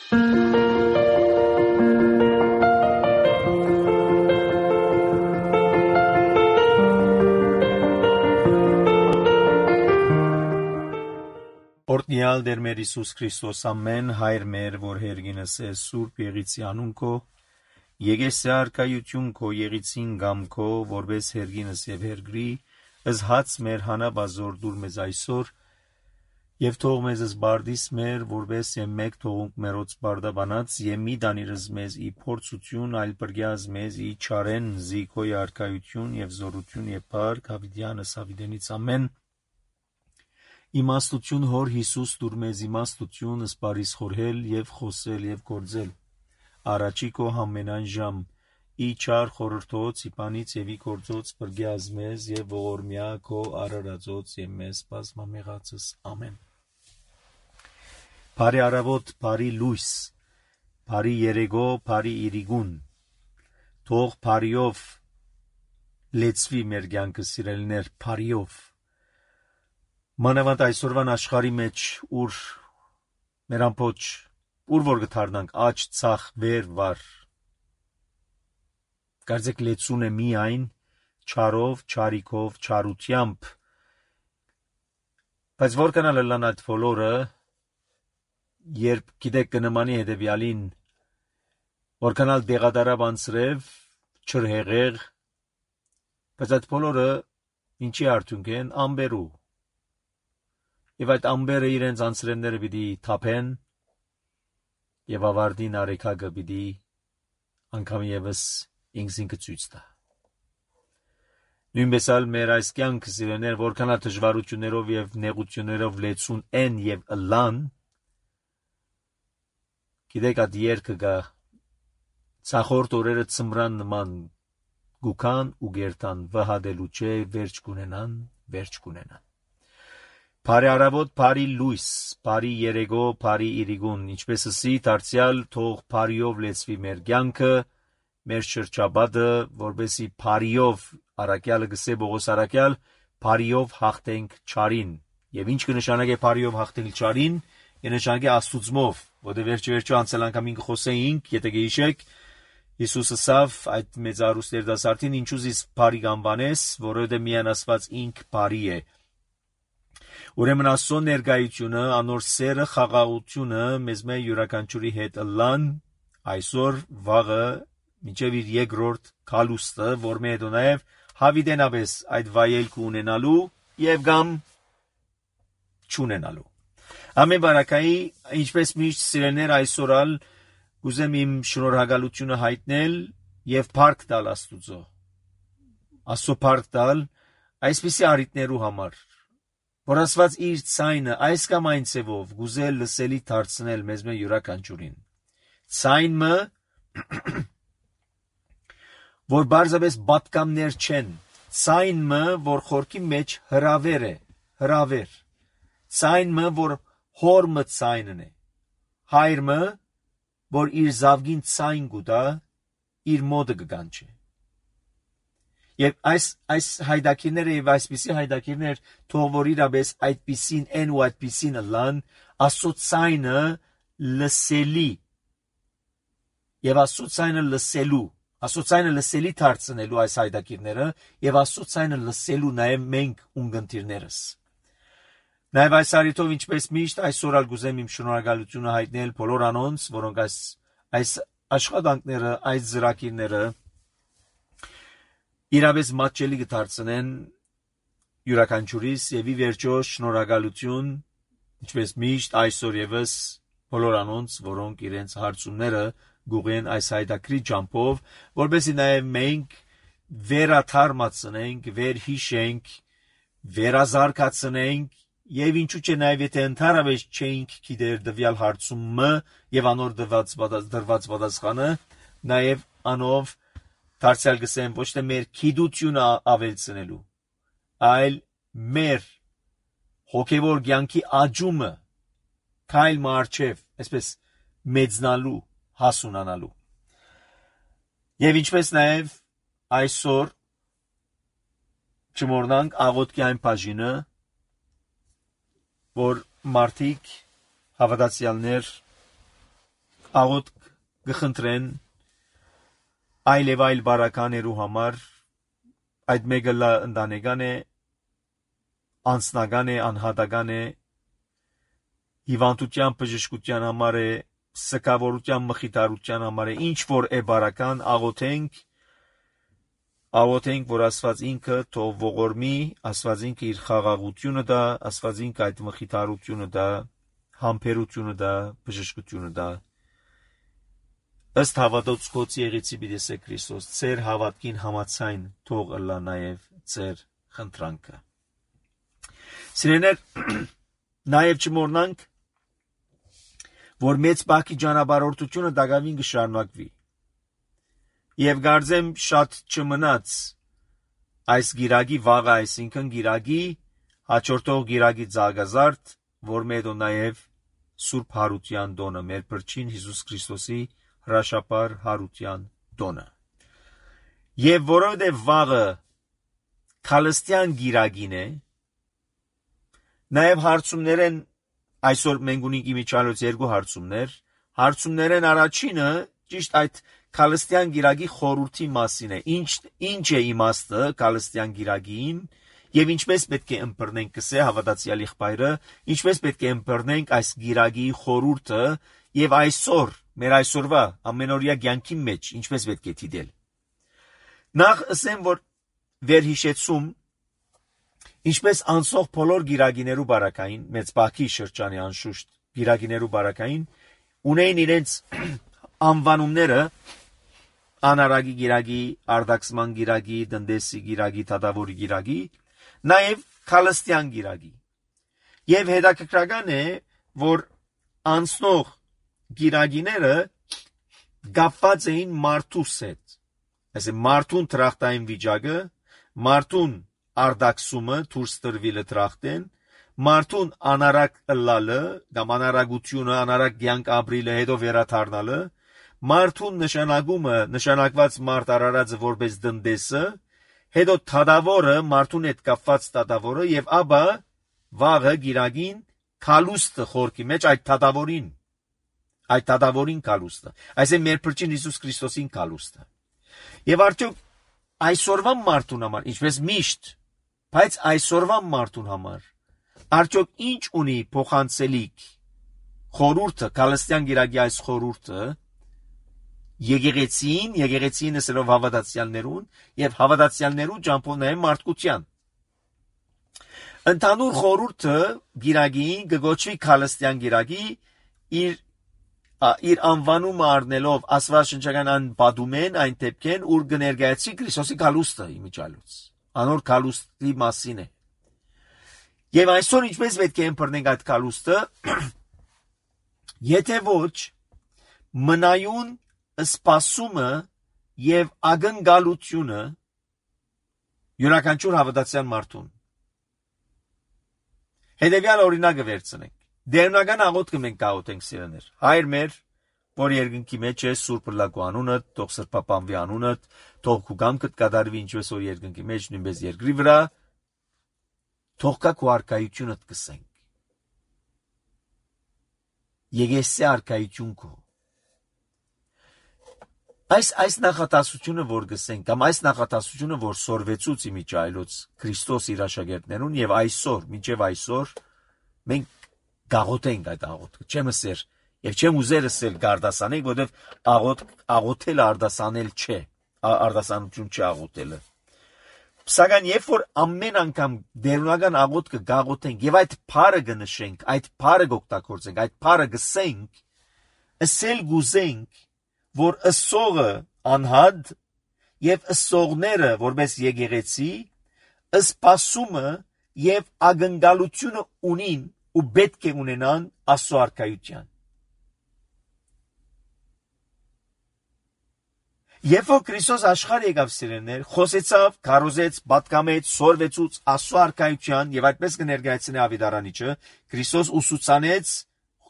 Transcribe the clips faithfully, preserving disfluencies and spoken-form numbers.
Օրհնյալ Տեր մեր Հիսուս Քրիստոս ամեն հայր մեր, որ հերգինս է Սուրբ Եղիցի անուն քո, եկես արքայություն քո Եղիցին գամ քո, որպես հերգինս եւ հերգրի, ըզհաց մեր հանաբազոր դուր մեզ այսօր, եւ թող մեզ զբարդիս մեր, որպես եւ մեկ թողունք մերոց բարդաբանած, եւ մի դանիրս մեզ ի փորձություն, այլ բրգյազ մեզ ի չարեն, զի քո արքայություն եւ զորություն եւ փառք հավիտյանս հավիտենից ամեն։ Իմաստություն հոր Հիսուս դուր մեզ իմաստություն սպարիս խորհել եւ խոսել եւ գործել առաջի քո համենայն ժամ ի չար խորհրդոց իպանից եւ ի գործոց բրգյազ մեզ եւ ողորմյա քո արարածոց եւ մեզ բազմամեղածս ամեն։ Բարի առավոտ, բարի լույս, բարի երեգո, բարի իրիգուն, թող բարիով լեցվի մեր կյանքը սիրելիներ, բարիով։ Մանավանդ այսօրվան աշխարհի մեջ, ուր մեր ամբողջ, ուր որ գտարնանք աճ, ցախ, վեր, վար։ Կարծեք լեցուն է միայն չարով, չարիքով, չարությամբ։ Բայց որքան էլ լան այդ բոլորը, երբ գիտեք կնմանի հետևյալին, որքան էլ դեղադարավ անցրև, չրհեղեղ, բայց այդ բոլորը ինչի արդյունք են, ամբերու։ Եվ այդ ամբերը իրենց անցրևները պիտի թափեն, եւ ավարտին արեքագը պիտի անգամ եւս ինքզինքը ցույց տա։ Նույնպես էլ մեր այս կյանքը սիրելիներ, որքան էլ դժվարություններով եւ նեղություններով լեցուն են եւ ըլլան, գիտեք այդ երկը գա ցախորդ օրերը ծմրան նման գուքան ու գերտան վհադելու չէ, վերջ կունենան, վերջ կունենան։ Բարի առավոտ, բարի լույս, բարի երեգո, բարի իրիգուն, ինչպես ասի, դարձյալ թող բարիով լեցվի մեր կյանքը, մեր շրջապատը, որպեսզի բարիով առաքյալը գսե Պողոս առաքյալ, բարիով հաղթենք չարին։ Եվ ինչ կնշանակե բարիով հաղթել չարին, կնշանակե աստուծմով, որտեղ վերջ վերջո անցել անգամ ինքը խոսեինք, եթե գիշեք, Հիսուսը ասավ այդ մեծարուստ երիտասարդին, ինչու զիս բարի կանվանես, որովհետև միայն Աստված ինք բարի է։ Ուրեմն Աստծո ներկայությունը, անոր սերը, խաղաղությունը մեզ մեր յուրաքանչյուրի հետ ըլլան այսօր վաղը մինչև իր երկրորդ քալուստը, որ մեր հետո նաև հավիտենապես այդ վայելքը ունենալու եւ գամ չունենալու։ Ամեն բարակայի, ինչպես միշտ սիրելիներ, այսօր ալ կուզեմ իմ շնորհակալությունը հայտնել եւ փառք տալ Աստուծո։ Աստծո փառք տալ այսպիսի առիթներու համար, որ Աստված իր ցայնը այս կամ այն ցևով գուզել լսելի դարձնել մեզ մեր յուրաքանչյուրին։ Ցայնը, որ բարձրապես պատկամներ չեն, ցայնը, որ խորքի մեջ հրավեր է, հրավեր, ցայնը, որ հորմը ցայնն է, հայրը, որ իր զավգին ցայն գուտա, իր մոդը կգանչի։ Եվ այս այս հայդակիրները եւ այսպիսի հայդակիրներ թող որ իրապես այդպիսին են ու այդպիսին լան Աստծո ցայնը լսելի եւ Աստծո ցայնը լսելու Աստծո ցայնը լսելի դարձնելու այս հայդակիրները եւ Աստծո ցայնը լսելու նաեւ մենք ունգընտիրներս։ Նաեւ այս արիթով ինչպես միշտ այսօր ալ գուզեմ իմ շնորհակալությունը հայտնել բոլոր անոնց, որոնք այս այս աշխատանքները, այս ծրագիրները իրապես մատչելի կդարձնեն յուրաքանչյուրիս եւ ի վերջո շնորհակալություն, ինչպես միշտ այսօր եւս բոլոր անոնց, որոնք իրենց հարցումները գուղեն այս հայդակրի ջամփով, որովհետեւ նաեւ մենք վերաթարմացնենք, վերհիշենք, վերազարգացնենք եւ ինչու՞ չէ նաեւ եթե ընդհանրապես չենք գիտեր դվյալ հարցումը եւ անոր դված դրված պատասխանը, նաեւ անով դարձյալ գսեմ ոչ թե մեր քիդությունը ավելցնելու, այլ մեր հոգևոր կյանքի աճումը քայլ մարչև, այսպես մեծնալու, հասունանալու։ Եվ ինչպես նաև այսօր չմոռնանք աղոթքի այն բաժինը, որ մարդիկ հավատացյալներ աղոտ կխնդրեն այլ եւ այլ բարականերու համար, այդ մեկը լա ընտանեկան է, անձնական է, անհատական է, հիվանդության բժշկության համար է, սկավորության մխիթարության համար է, ինչ որ է բարական, աղոթենք, աղոթենք, որ Աստված ինքը թող ողորմի, Աստված ինքը իր խաղաղությունը դա, Աստված ինքը այդ մխիթարությունը դա, համբերությունը դա, բժշկությունը դա, ըստ հավատոց Քոց եղեցի Բիդեսե Քրիստոս, ծեր հավատքին համացայն թող ըլլա նաև ծեր խնդրանքը։ Սիրեներ, նաև չմոռնանք, որ մեծ բակի ճանապարհորդությունը դակավին կշարունակվի։ Եվ կարծեմ շատ չմնաց այս գիրագի վաղը, այսինքն գիրագի հաջորդող գիրագի ցագազարդ, որ մետո նաև Սուրբ Հարության տոնը, մեր Փրկին Հիսուս Քրիստոսի հրաշապար Հարության տոնը։ Եվ որովհետև վաղը քալստյան գիրագին է, նաև հարցումներ են, այսօր մենք ունենք իմիջիալոց երկու հարցումներ, հարցումներ են առաջինը ճիշտ այդ քալստյան գիրագի խորհրդի մասին է, ինչ ինչ է իմաստը քալստյան գիրագին եւ ինչպես պետք է ըմբռնենք կսե հավատացյալ եղբայրը, ինչպես պետք է ըմբռնենք այս գիրագի խորհուրդը եւ այսօր մեր այսօրվա ամենօրյա կյանքի մեջ ինչպես պետք է դիտել։ Նախ ասեմ, որ վերհիշեցում ինչպես անսող բոլոր գիրագիներու բարակային, մեծ բակի շրջանի անշուշտ գիրագիներու բարակային, ունեին իրենց անվանումները անարագի գիրագի, արդակսման գիրագի, դնդեսի գիրագի, թադավորի գիրագի, նաև քալստյան գիրագի։ Եվ հետաքրքրական է, որ անցնող գիրագիները կապված էին մարդուս հետ։ Այսինքն մարդուն տրախտային վիճակը, մարդուն արդակսումը դուրս տրվիլը տրախտեն, մարդուն անարակ ըլլալը, կամ անարագությունը, անարակ կյանք ապրիլը, հետո վերադառնալը, մարդուն նշանակումը, նշանակված մարդ արարածը որպես դնդեսը, հետո թադավորը, մարդուն հետ կապված թադավորը, եւ ապա վաղը գիրագին քալուստը խորքի մեջ այդ թադավորին, այդ թադավորին քալուստը, այսինքն մեր Փրկին Հիսուս Քրիստոսին քալուստը։ Եվ արդյոք այսօրվա մարդուն համար, ինչպես միշտ, բայց այսօրվա մարդուն համար, արդյոք ինչ ունի փոխանցելիք խորհուրդը, քալստյան գիրագի այս խորհուրդը, եկեղեցին, եկեղեցին ասելով հավատացյալներուն եւ հավատացյալներու ճամփով նաեւ մարդկության։ Ընդհանուր խորհուրդը գիրագին կգոչվի քալստյան գիրագի իր իր անվանումը առնելով աստվածաշնչական այն բադումեն, այն դեպքեն, ուր կներկայացի Քրիստոսի քալուստը իմիջալուց, անոր քալուստի մասին է։ Եվ այսօր ինչպես պետք է ըմբռնենք այդ քալուստը, եթե ոչ մնայուն սպասումը եւ ակնկալությունը յուրաքանչյուր հավատացյալ մարդուն։ Հետևյալ օրինակը վերցնենք։ Դերնական աղոթքը մենք կաղոթենք սիրեներ։ Հայր մեր, որ երկնքի մեջ է, Սուրբ լակու անունդ, թող սրբապանվի անունդ, թող քու կամքդ կատարվի ինչպես որ երկնքի մեջ, նույնպես երկրի վրա, թող կա քու արքայությունդ կսենք։ Եկեսե արքայություն քո։ Այս այս նախատասությունը որ գսենք, կամ այս նախատասությունը որ սորվեցուց իմիջայլոց Քրիստոս իր աշակերտներուն եւ այսօր, մինչեւ այսօր մենք գաղոթենք այդ աղոթքը։ Չեմ ասեր եւ չեմ ուզեր ասել գարդասանենք, որովհետեւ աղոթ աղոթելը արդասանել չէ, արդասանություն չէ աղոթելը։ Սակայն երբ որ ամեն անգամ դերունական աղոթքը գաղոթենք եւ այդ փառը կնշենք, այդ փառը կօգտագործենք, այդ փառը գսենք, ասել գուզենք, որ ըսողը անհադ եւ ըսողները որպես եկեղեցի սպասումը եւ ակնկալությունը ունին ու պետք է ունենան Աստծո արքայության։ Երբ որ Քրիստոս աշխարհ եկավ սիրելիներ, խոսեցավ, քարոզեց, պատկամեց, սորվեցուց Աստծո արքայության եւ այդպես կներկայացնի Ավետարանիչը, Քրիստոս ուսուցանեց,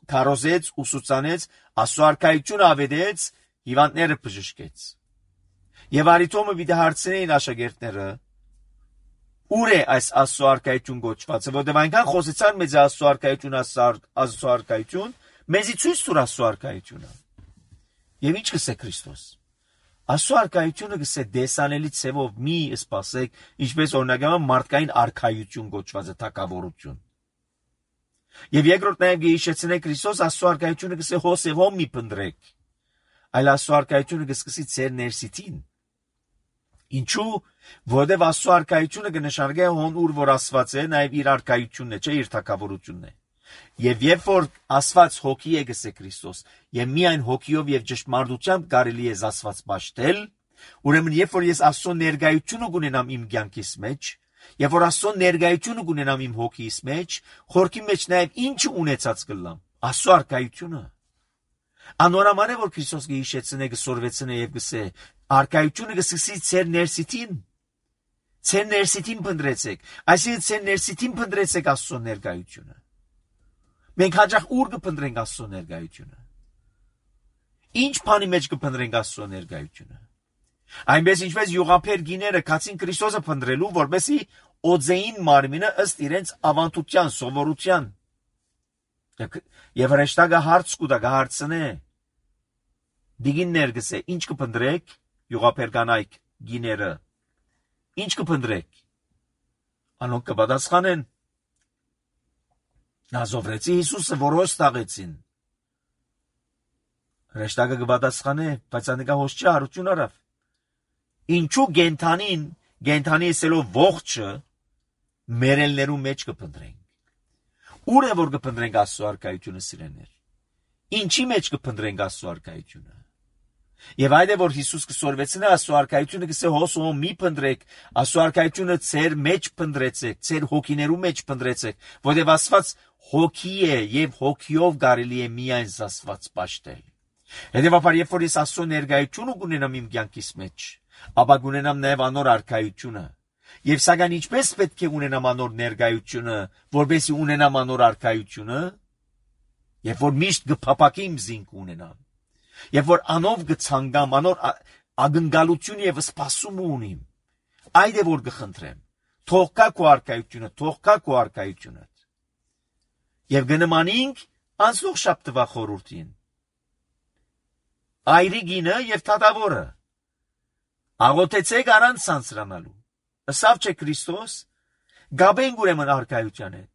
քարոզեց, ուսուցանեց, Աստծո արքայությունը ավետեց, հիվանդները բժշկեց։ Եւ արիտոմը վիդե հարցնեին աշակերտները, ուր է այս Աստծո արքայություն գոչվածը, որտեղ այնքան խոսեցան մեծ Աստծո արքայություն, Աստծո արքայություն, մեզի ցույց տուր Աստծո արքայությունը։ Եվ ինչ կսե Քրիստոս։ Աստծո արքայությունը գսե դեսանելի ցևով մի սպասեք, ինչպես օրինակավոր մարդկային արքայություն գոչված է թակավորություն։ Եվ երկրորդ նաև գեհիշեցնե Քրիստոս Աստծո արքայությունը գսե հոսևով մի փնդրեք, այլ Աստծո արքայությունը գսկսի ծեր ներսիտին։ Ինչու, որովհետև Աստծո արքայությունը կնշանակե հոն ուր որ Աստված է, նաև իր արքայությունն է, չէ, իր թակավորությունն է։ Եվ երբ որ Աստված հոգի է գսե Քրիստոս, եւ միայն հոգիով եւ ճշմարտությամբ կարելի է Աստված ճաշտել, ուրեմն երբ որ ես Աստծո ներկայությունը կունենամ իմ կյանքիս մեջ, երբ որ Աստծո ներկայությունը կունենամ իմ հոգիս մեջ, խորքի մեջ նաև ինչ ունեցած կլամ, Աստծո արքայությունը։ Անորոման է որ Քրիստոս գիհիշեցնե գսորվեցնե եւ գսե արքայությունը գսկսի ծեր ներսիտին։ Ծեր ներսիտին փնտրեցեք, այսինքն ծեր ներսիտին փնտրեցեք Աստծո ներկայությունը։ Մենք հաճախ ուր կփնտրենք Աստծո ներկայությունը։ Ինչ բանի մեջ կփնտրենք Աստծո ներկայությունը։ Այնպես ինչպես յուղափեր գիները կացին Քրիստոսը փնտրելու, որպեսզի օձեին մարմինը ըստ իրենց ավանդության, սովորության։ Եվ հրեշտակը հարց կուտա, կհարցնե։ Դիգիններ գսե, ինչ կփնտրեք, յուղափեր կանայք գիները։ Ինչ կփնտրեք։ Անոնք կպատասխանեն։ Նազովրեցի Հիսուսը որոս տաղեցին։ Հրեշտակը կպատասխանե, բայց անիկա հոս չի հարություն արավ։ Ինչու գենթանին, գենթանի ասելով ողջը մերելներու մեջ կփնտրենք։ Ուր է որ կփնտրենք Աստծո արքայությունը սիրեներ։ Ինչի մեջ կփնտրենք Աստծո արքայությունը։ Եվ այդ է որ Հիսուս կսորվեցնե Աստծո արքայությունը գսե հոսում մի փնտրեք, Աստծո արքայությունը ծեր մեջ փնտրեցեք, ծեր հոգիներու մեջ փնտրեցեք, որովհետև Աստված հոգի է եւ հոգիով կարելի է միայն Աստված ճաշտել։ Հետևաբար երբ որ ես Աստծո ներկայությունը կունենամ իմ կյանքիս մեջ, ապա կունենամ նաև անոր արքայությունը։ Եվ սակայն ինչպես պետք է ունենամ անոր ներկայությունը, որպեսզի ունենամ անոր արքայությունը, երբ որ միշտ կփապակիմ զինք ունենամ, երբ որ անով կցանգամ, անոր ագնկալություն եւ սպասում ունիմ, այդ է որ կխնդրեմ, թող կա քո արքայությունը, թող կա քո արքայությունը։ Եվ գնմանինք անցող շաբթվա խորհրդին։ Այրիգինը եւ թադավորը։ Աղոթեցեք առանց ցանցրանալու։ Ըսավ չէ Քրիստոս, գաբենք ուրեմն արքայության հետ։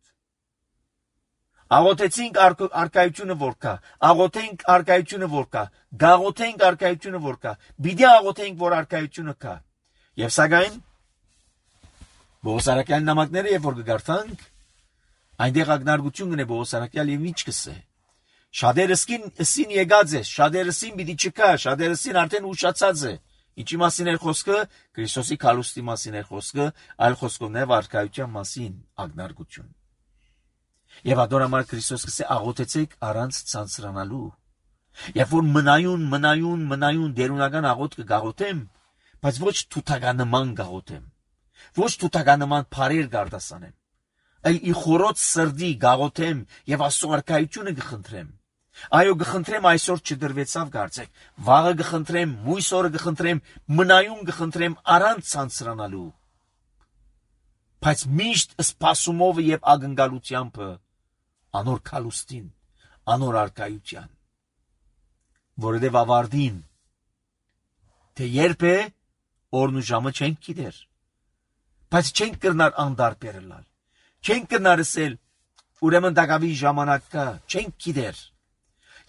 Աղոթեցինք արքայությունը որ կա, աղոթենք արքայությունը որ կա, գաղոթենք արքայությունը որ կա, բիդի աղոթենք որ արքայությունը կա։ Եվ սակայն Բողոսարակյան նամակները երբ որ կգարթանք, այնտեղ ակնարկություն կնե Բողոսարակյալ եւ ինչ կսե։ Շատերսին ըսին եկած է, շատերսին պիտի չկա, շատերսին արդեն ուշացած է։ Ինչի մասին էր խոսքը, Քրիստոսի քալուստի մասին էր խոսքը, այլ խոսքով նաև արքայության մասին ակնարկություն։ Եվ ադորամար Քրիստոս կսե աղոթեցեք առանց ցանցրանալու։ Երբ որ մնայուն, մնայուն, մնայուն դերունական աղոթ կգաղոթեմ, բայց ոչ թութականման գաղոթեմ, ոչ թութականման բարեր գարդասանեմ, այլ ի խորոց սրդի գաղոթեմ եւ Աստծո արքայությունը կխնդրեմ։ Այո, կխնդրեմ այսօր չդրվեցավ կարծեք, վաղը կխնդրեմ, մույս օրը կխնդրեմ, մնայուն կխնդրեմ առանց ցանցրանալու։ Բայց միշտ սպասումով եւ ակնկալությամբ անոր քալուստին, անոր արքայության։ Որովհետեւ ավարտին թե երբ է օրն ու ժամը չենք գիտեր, բայց չենք կրնար անդարբերելալ, չենք կրնար ասել ուրեմն դակավի ժամանակ կա, չենք գիտեր։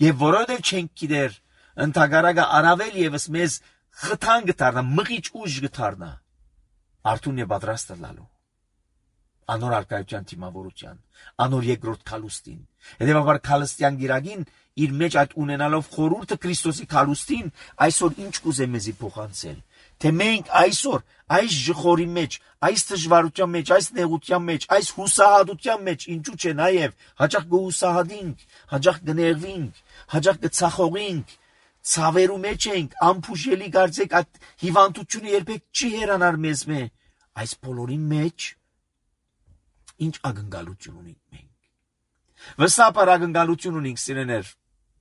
Եվ որովհետև չենք գիտեր, ընդհանրակը առավել եւս մեզ խթան գտարնա, մղիչ ուժ գտարնա, արթուն է պատրաստ լալու, անոր արքայության թիմավորության, անոր երկրորդ քալուստին։ Հետևաբար քալստյան գիրագին իր մեջ այդ ունենալով խորհուրդը Քրիստոսի քալուստին այսօր ինչ կուզե մեզի փոխանցել, թե մենք այսօր այս ժխորի մեջ, այս դժվարության մեջ, այս նեղության մեջ, այս հուսահատության մեջ, ինչու՞ չէ նաև հաճախ կհուսահատենք, հաճախ կներվենք, հաճախ կցախողենք, ցավերու մեջ ենք, ամփուշելի կարծեք այդ հիվանդությունը երբեք չի հեռանար մեզ մե, այս բոլորի մեջ ինչ ակնկալություն ունենք մենք։ Վստահաբար ակնկալություն ունենք սիրեներ,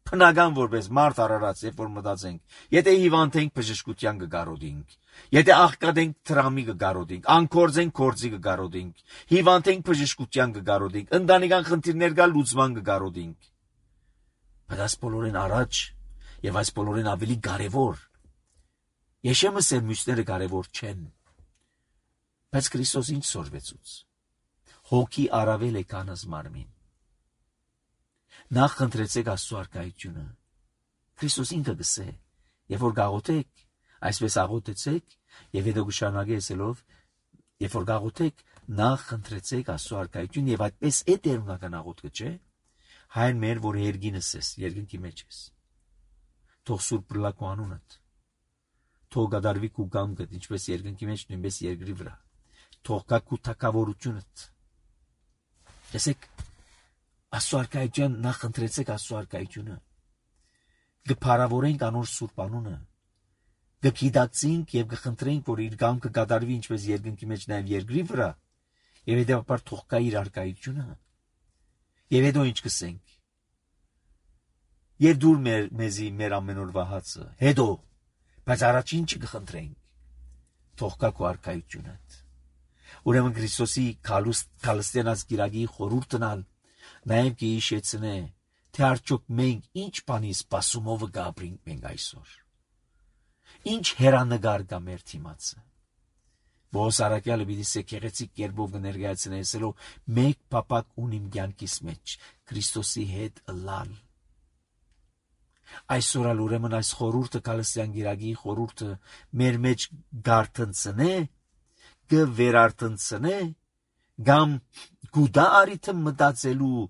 բնական որպես մարդ արարած, երբ որ մտածենք, եթե հիվանդ ենք բժշկության կգարոդենք, եթե աղքատ ենք տրամի կգարոդենք, անկորձ ենք կորձի կգարոդենք, հիվանդ ենք բժշկության կգարոդենք, ընտանեկան խնդիրներ կա լուծման կգարոդենք։ Բայց այս բոլորին առաջ Եվ այս բոլորին ավելի կարևոր, Եշեմս էր մյուսները կարևոր չեն, բայց Քրիստոս ինչ սորվեցուց, հոգի առավել է քանս մարմին, նախ խնդրեցեք Աստծո առկայությունը, Քրիստոս ինքը գսե, եւ որ գաղութեք, այսպես աղոթեցեք, եւ հետո գշարունակե ասելով, երբ որ գաղութեք, նախ խնդրեցեք Աստծո առկայություն եւ այդպես է տերունական աղոթքը, չէ՞։ Հայր մեր, որ երկինս ես, երկնքի մեջ ես։ Թող սուրբ բռլակու անունդ, թող գադարվի քու գամքդ, ինչպես երկնքի մեջ, նույնպես երկրի վրա։ Թող գա քու թակավորությունդ։ Տեսեք, Աստծո առկայության նախ խնդրեցեք Աստծո առկայությունը։ Գփարավորենք անոր սուրբ անունը։ Գկիդացինք եւ գխնդրենք, որ իր գամքը գադարվի ինչպես երկնքի մեջ, նաեւ երկրի վրա, եւ հետեւաբար թող կա իր առկայությունը։ Եվ հետո ինչ կսենք։ Եվ դուր մեր մեզի մեր ամենօրվա հացը։ Հետո, բայց առաջին չկխնդրենք, թող կա քո առկայությունդ։ Ուրեմն Քրիստոսի քալստենած գիրագի խորհուրդնալ, նաեւ կհիշեցնե, թե արդյոք մենք ինչ բանի սպասումով կապրենք մենք այսօր։ Ինչ հերանագար կա մեր թիմացը։ Ողոս առաքյալը պիտի սեքեղեցիկ կերպով կներկայացնե ասելով մեկ պապակ ունիմ կյանքիս մեջ Քրիստոսի հետ ըլլալ։ Այսօր ալ ուրեմն այս խորհուրդը Քալստյան գիրագի խորհուրդը մեր մեջ գարտնցնե, կվերարտնցնե, գամ գուդա արիթը մտածելու,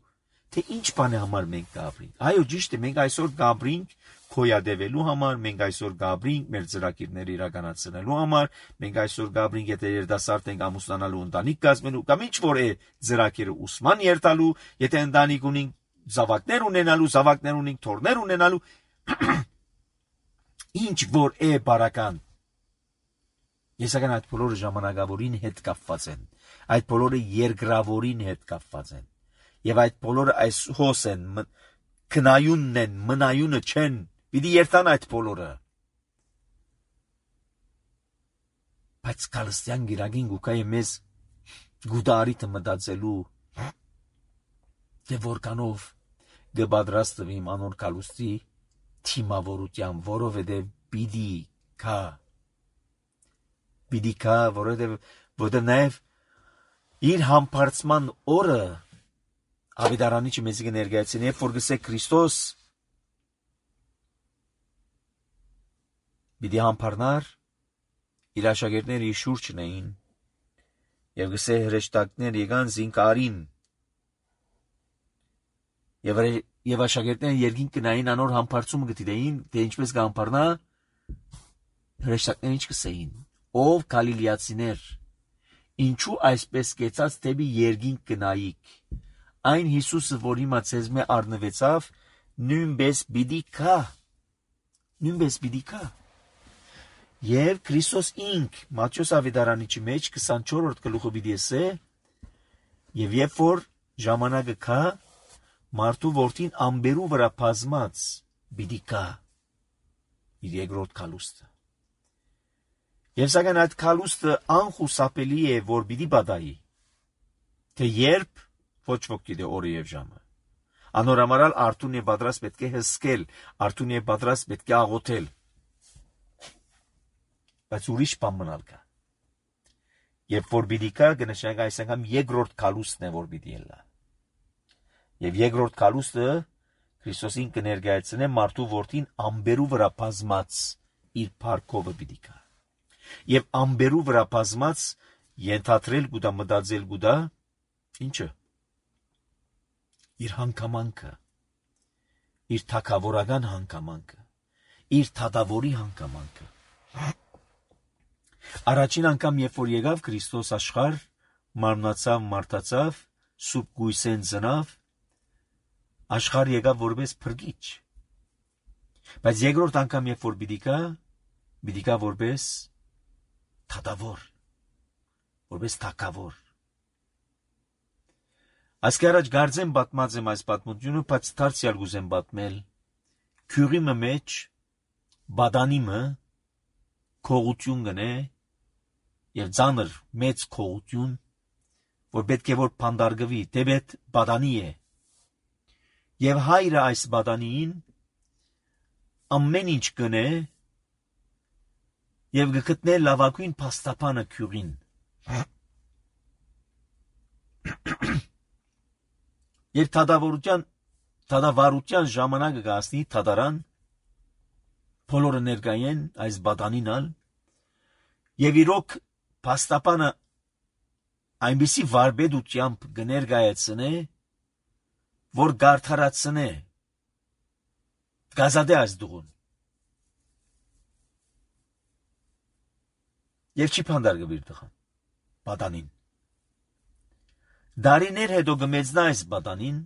թե ինչ բան է համար մենք կապրենք։ Այո, ճիշտ է, մենք այսօր կապրենք քոյադևելու համար, մենք այսօր կապրենք մեր ծրագիրները իրականացնելու համար, մենք այսօր կապրենք եթե երդասարդ ենք ամուսնանալու ընտանիք կազմելու, կամ ինչ որ է ծրագիրը ուսման երթալու, եթե ընտանիք ունենք զավակներ ունենալու, զավակներ ունենք թորներ ունենալու, ինչ որ է բարական։ Եսական այդ բոլորը ժամանակավորին հետ կապված են, այդ բոլորը երկրավորին հետ կապված են, եւ այդ բոլորը այս հոս են, քնայունն են, մնայունը չեն, պիտի երթան այդ բոլորը։ Բայց Քալստյան գիրագին գուկա է մեզ գուդարիթը մտածելու, թե որքանով կպատրաստվիմ անոր կալուստի թիմավորության, որովհետև պիտի կա, պիտի կա, որովհետև որովհետև նաև իր համբարձման օրը Ավետարանիչը մեզ կներկայացնի, երբ որ գսե Քրիստոս պիտի համբարնար, իր աշակերտները իր շուրջն էին, եւ գսե հրեշտակներ եկան զինկարին, եւ եւ աշակերտները երկին կնային անոր համբարձումը գտիդեին, թե ինչպես կհամբարնա, հրեշտակները ինչ կսեին, ով գալիլեացիներ, ինչու այսպես կեցած դեպի երկին կնայիք, այն Հիսուսը, որ հիմա ցեզ մե առնվեցավ, նույնպես պիտի կա, նույնպես պիտի կա։ Եվ Քրիստոս ինք Մատթեոս ավետարանիչի մեջ քսանչորրորդ գլուխը պիտի ասե, եւ երբ որ ժամանակը կա, մարդու որդին ամբերու վրա բազմած պիտի կա իր երկրորդ քալուստը։ Եվ սակայն այդ քալուստը անխուսափելի է, որ պիտի բադայի, թե երբ ոչ ոք գիտե օրը եւ ժամը։ Անորամարալ արթուն եւ պատրաստ պետք է հսկել, արթուն եւ պատրաստ պետք է աղոթել։ Բայց ուրիշ բան մնալ կա։ Երբ որ պիտի կա, կնշանակի այս անգամ երկրորդ քալուստն է, որ պիտի ելա։ Եվ երկրորդ քալուստը Քրիստոսին կներկայացնե մարդու որդին ամբերու վրա բազմած իր փառքովը պիտի կա։ Եվ ամբերու վրա բազմած ենթադրել գուտա մտածել գուտա ինչը իր հանգամանքը, իր թակավորական հանգամանքը, իր թադավորի հանգամանքը։ Առաջին անգամ, երբ որ եկավ Քրիստոս աշխարհ, մարմնացավ, մարդացավ, սուրբ գույսեն ծնավ, աշխարհ եկավ որպես փրկիչ։ Բայց երկրորդ անգամ, երբ որ պիտի գա, պիտի գա որպես թադավոր, որպես թակավոր։ Այսքի առաջ գարձեմ պատմած եմ այս պատմությունը, բայց դարձյալ գուզեմ պատմել։ Քյուրիմը մեջ բադանիմը քողություն գնե եւ ծանր մեծ քողություն, որ պետք է որ փանդարգվի, դեպետ բադանի է։ Եվ հայրը այս բադանիին ամեն ինչ կնե եւ գտնե լավագույն փաստապանը քյուղին։ Եվ թադավորության թադավարության ժամանակը գասնի թադարան բոլորը ներկայեն այս բադանինալ եւ իրոք փաստապանը այնպիսի վարպետությամբ կներկայացնե, որ գարթարացնե գազադե այս դուղուն եւ չի փանդար գվիր տղան բադանին դարիներ հետո գմեծնա այս բադանին,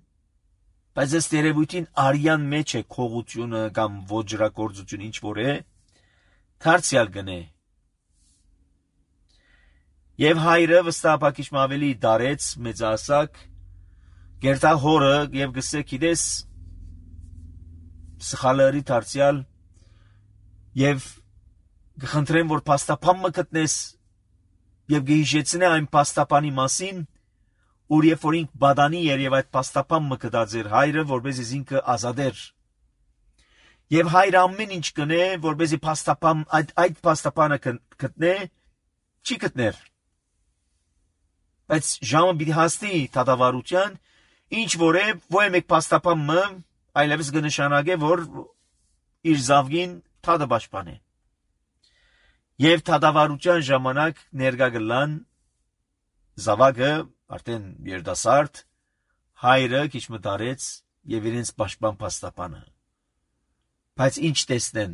բայց ըստ երևույթին արյան մեջ է քողությունը կամ ոճրագործություն ինչ որ է, դարձյալ գնե։ Եվ հայրը վստահապակիչմ ավելի դարեց մեծահասակ, գերտա հորը եւ գսե գիտես սխալարի դարձյալ եւ գխնդրեմ որ փաստապան մը գտնես եւ գիժեցնե այն փաստապանի մասին, ուր երբ որ ինք բադանի էր եւ այդ փաստապան մը կդած էր հայրը, որպեսզի ինքը ազատեր։ Եվ հայրը ամեն ինչ կնե, որպեսզի փաստապան այդ այդ փաստապանը գտնե, չի գտներ։ Բայց ժամը պիտի հասնի թադավարության, ինչ որ է, ոչ մեկ փաստապան մը այլևս կնշանակե, որ իր զավգին թադը պաշտպան է։ Եվ թադավարության ժամանակ ներկա գլան զավակը արդեն երդասարդ հայրը քիչ մտարեց եւ իրենց պաշտպան փաստապանը։ Բայց ինչ տեսնեն։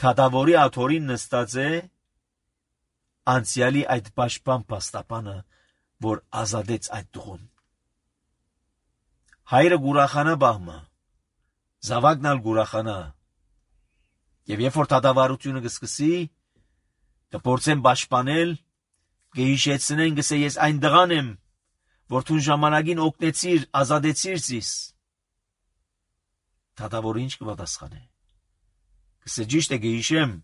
Թադավորի աթորին նստած է անցյալի այդ պաշտպան փաստապանը, որ ազատեց այդ դուղուն։ Հայրը գուրախանա բահմը, զավակն ալ գուրախանա։ Եվ երբ որ թադավարությունը կսկսի, կփորձեն պաշտպանել, կհիշեցնեն գսե ես այն դղան եմ, որ թուն ժամանակին օգնեցիր, ազատեցիր զիս։ Թադավորը ինչ կպատասխանե։ Գսե ճիշտ է գիշեմ,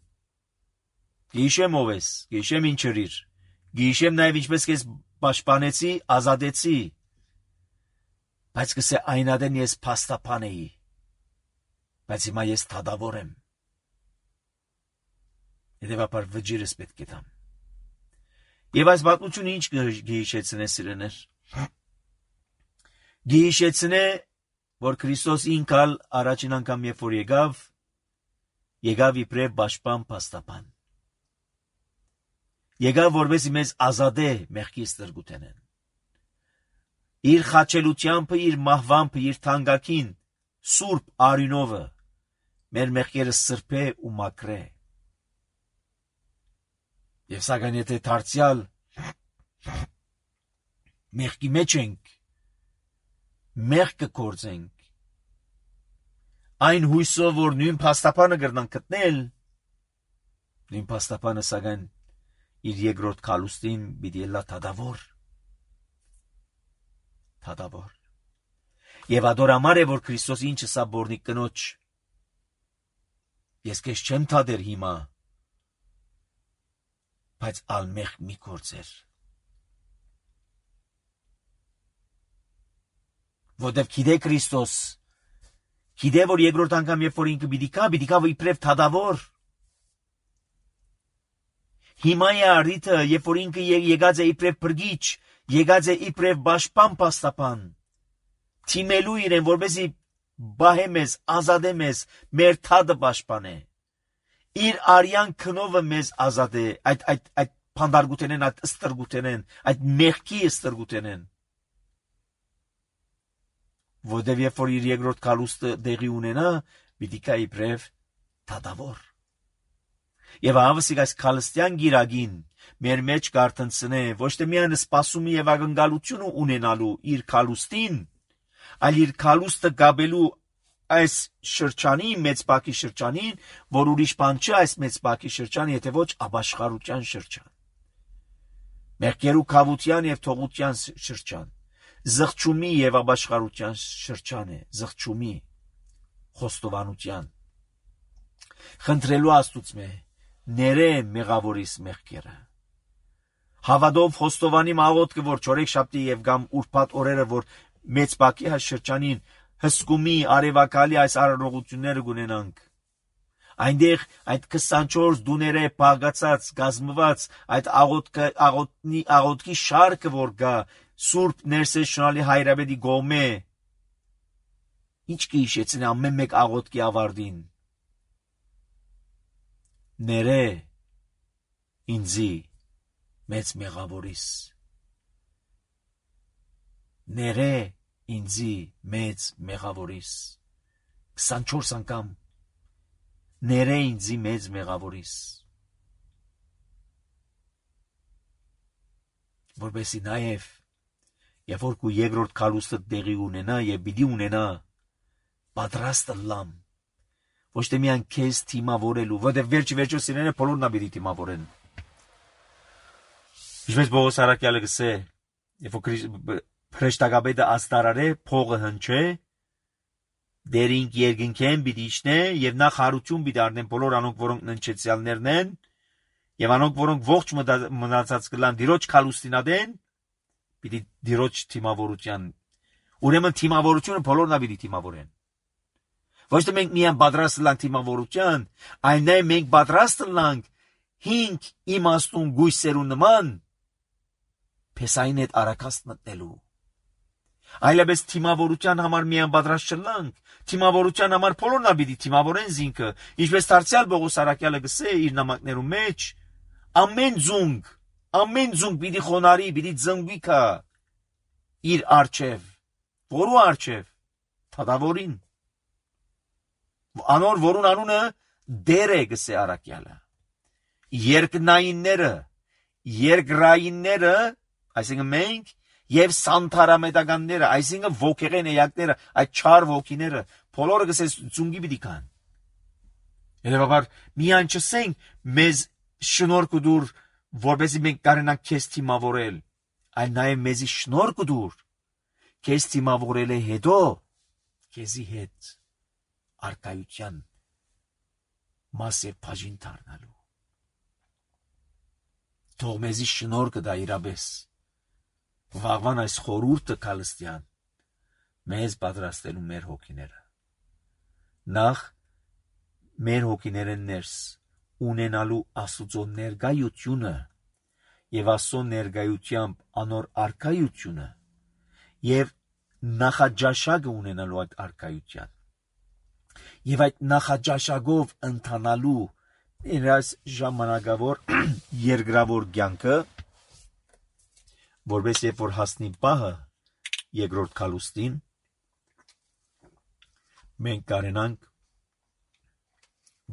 գիշեմ ով ես, գիշեմ ինչ երիր, գիշեմ նաև ինչպես կես պաշտպանեցի, ազատեցի, բայց գսե այնադեն ես փաստապան էի, բայց հիմա ես թադավոր եմ։ Հետևաբար վճիրս պետք է տամ։ Եվ այս պատմությունը ինչ գիհիշեցնե սիրեներ։ Գիհիշեցնե, որ Քրիստոս ինքալ առաջին անգամ երբ որ եկավ, եկավ իբրև պաշտպան փաստապան։ Եկավ որպեսզի մեզ ազատե մեղքի ստրգութենեն։ Իր խաչելությամբ, իր մահվամբ, իր թանկագին սուրբ արյունովը մեր մեղքերը սրբե ու մաքրե։ Եվ սակայն եթե դարձյալ մեղքի մեջ ենք, մեղք կգործենք, այն հույսով, որ նույն փաստապանը կրնանք գտնել, նույն փաստապանը սակայն իր երկրորդ քալուստին պիտի ելա թադավոր։ Թադավոր։ Եվ ադորամար է, որ Քրիստոս ինչը սա բորնիկ կնոջ։ Ես քեզ չեմ թադեր հիմա, բայց ալմեղ մի գործեր։ Որտև գիտե Քրիստոս, գիտե որ երկրորդ անգամ երբ որ ինքը պիտի կա, պիտի կա իբրև թադավոր։ Հիմա է արդիթը, երբ որ ինքը եկած է իբրև բրգիչ, եկած է իբրև պաշտպան փաստապան, թիմելու իրեն, որպեսզի բահե մեզ, ազատե մեզ, մեր թադը պաշտպանե։ Իր արյան քնովը մեզ ազատե, այդ այդ այդ փանդարգութենեն, այդ ստրգութենեն, այդ մեղքի ստրգութենեն։ Որտև երբ որ իր երկրորդ քալուստը դեղի ունենա, պիտի կա իբրև թադավոր։ Եվ ավսիկ այս քալստյան գիրագին մեր մեջ կարտնցնե ոչ թե միայն սպասումի եւ ակնկալությունը ունենալու իր քալուստին, այլ իր քալուստը գաբելու այս շրջանի մեծ բակի շրջանին, որ ուրիշ բան չէ այս մեծ բակի շրջան, եթե ոչ ապաշխարության շրջան։ Մեղքերու քավության եւ թողության շրջան, զղջումի եւ ապաշխարության շրջան է, զղջումի, խոստովանության։ Խնդրելու Աստուծմե, ները մեղավորիս մեղքերը։ Հավատով խոստովանի աղոթքը, որ չորեքշաբթի եւ կամ ուրբաթ օրերը, որ մեծ բակի շրջանին հսկումի արևակալի այս արարողությունները գունենանք։ Այնտեղ այդ քսանչորս դուները բաղացած գազմված այդ աղոթքի աղոթքի աղոթքի շարքը որ գա Սուրբ Ներսեշնալի հայրաբեդի գոմե ինչ կհիշեցնի ամեն մեկ աղոթքի ավարտին ներե ինձի մեծ մեղավորիս ներե ինձի մեծ մեղավորիս քսանչորս անգամ ներե ինձի մեծ մեղավորիս որբեսի նաև երբ որ քու երկրորդ քալուստը տեղի ունենա եւ պիտի ունենա պատրաստ լամ ոչ թե միայն քեզ թիմավորելու որտեղ վերջի վերջո սիրելիները բոլորն ա պիտի թիմավորեն ինչպես Պողոս Արաքյալը գսե երբ որ Փրեշտակաբեդը աստարարե փողը հնչե դերինք երկնքեն պիտի իջնե եւ նա խարություն պիտի առնեն բոլոր անոնք որոնք ննչեցյալներն են եւ անոնք որոնք ողջ մնացած կլան դիրոջ քալուստինադեն պիտի դիրոջ թիմավորության ուրեմն թիմավորությունը բոլորն ա պիտի թիմավորեն ոչ թե մենք միայն պատրաստ լանք թիմավորության այլ նաեւ մենք պատրաստ լանք հինգ իմաստուն գույսերու նման փեսային հետ արակաստ մտնելու այլապես թիմավորության համար միայն պատրաստ չլանք թիմավորության համար բոլորն ա պիտի թիմավորեն զինքը ինչպես դարձյալ Պողոս Արաքյալը գսե իր նամակներում մեջ ամեն ձունգ ամեն ձունգ պիտի խոնարհի պիտի ծնվի կա իր արչև որու արչև թադավորին անոր որուն անունը դեր է գսե Արաքյալը երկնայինները երկրայինները այսինքն մենք եւ սանթարամետականները, այսինքն ոգեղեն էակները, այդ չար ոգիները, բոլորը գսես ծունգի պիտի կան։ Հետևաբար միայն չսենք մեզ շնորհք դուր, որովհետեւ մենք կարենանք քեզ թիմավորել, այլ նաեւ մեզի շնորհք դուր, քեզ թիմավորել է հետո, քեզի հետ արկայության մաս եւ բաժին դառնալու։ Թող մեզի շնորհքը դա իրապես վաղվան այս խորուրդը քալստյան մեզ պատրաստելու մեր հոգիները նախ մեր հոգիները ներս ունենալու Աստծո ներկայությունը եւ Աստծո ներկայությամբ անոր արքայությունը եւ նախաճաշակը ունենալու այդ արքայության եւ այդ նախաճաշակով ընթանալու իրաց ժամանակավոր երկրավոր կյանքը որպես երբ որ հասնի պահը երկրորդ քալուստին մենք կարենանք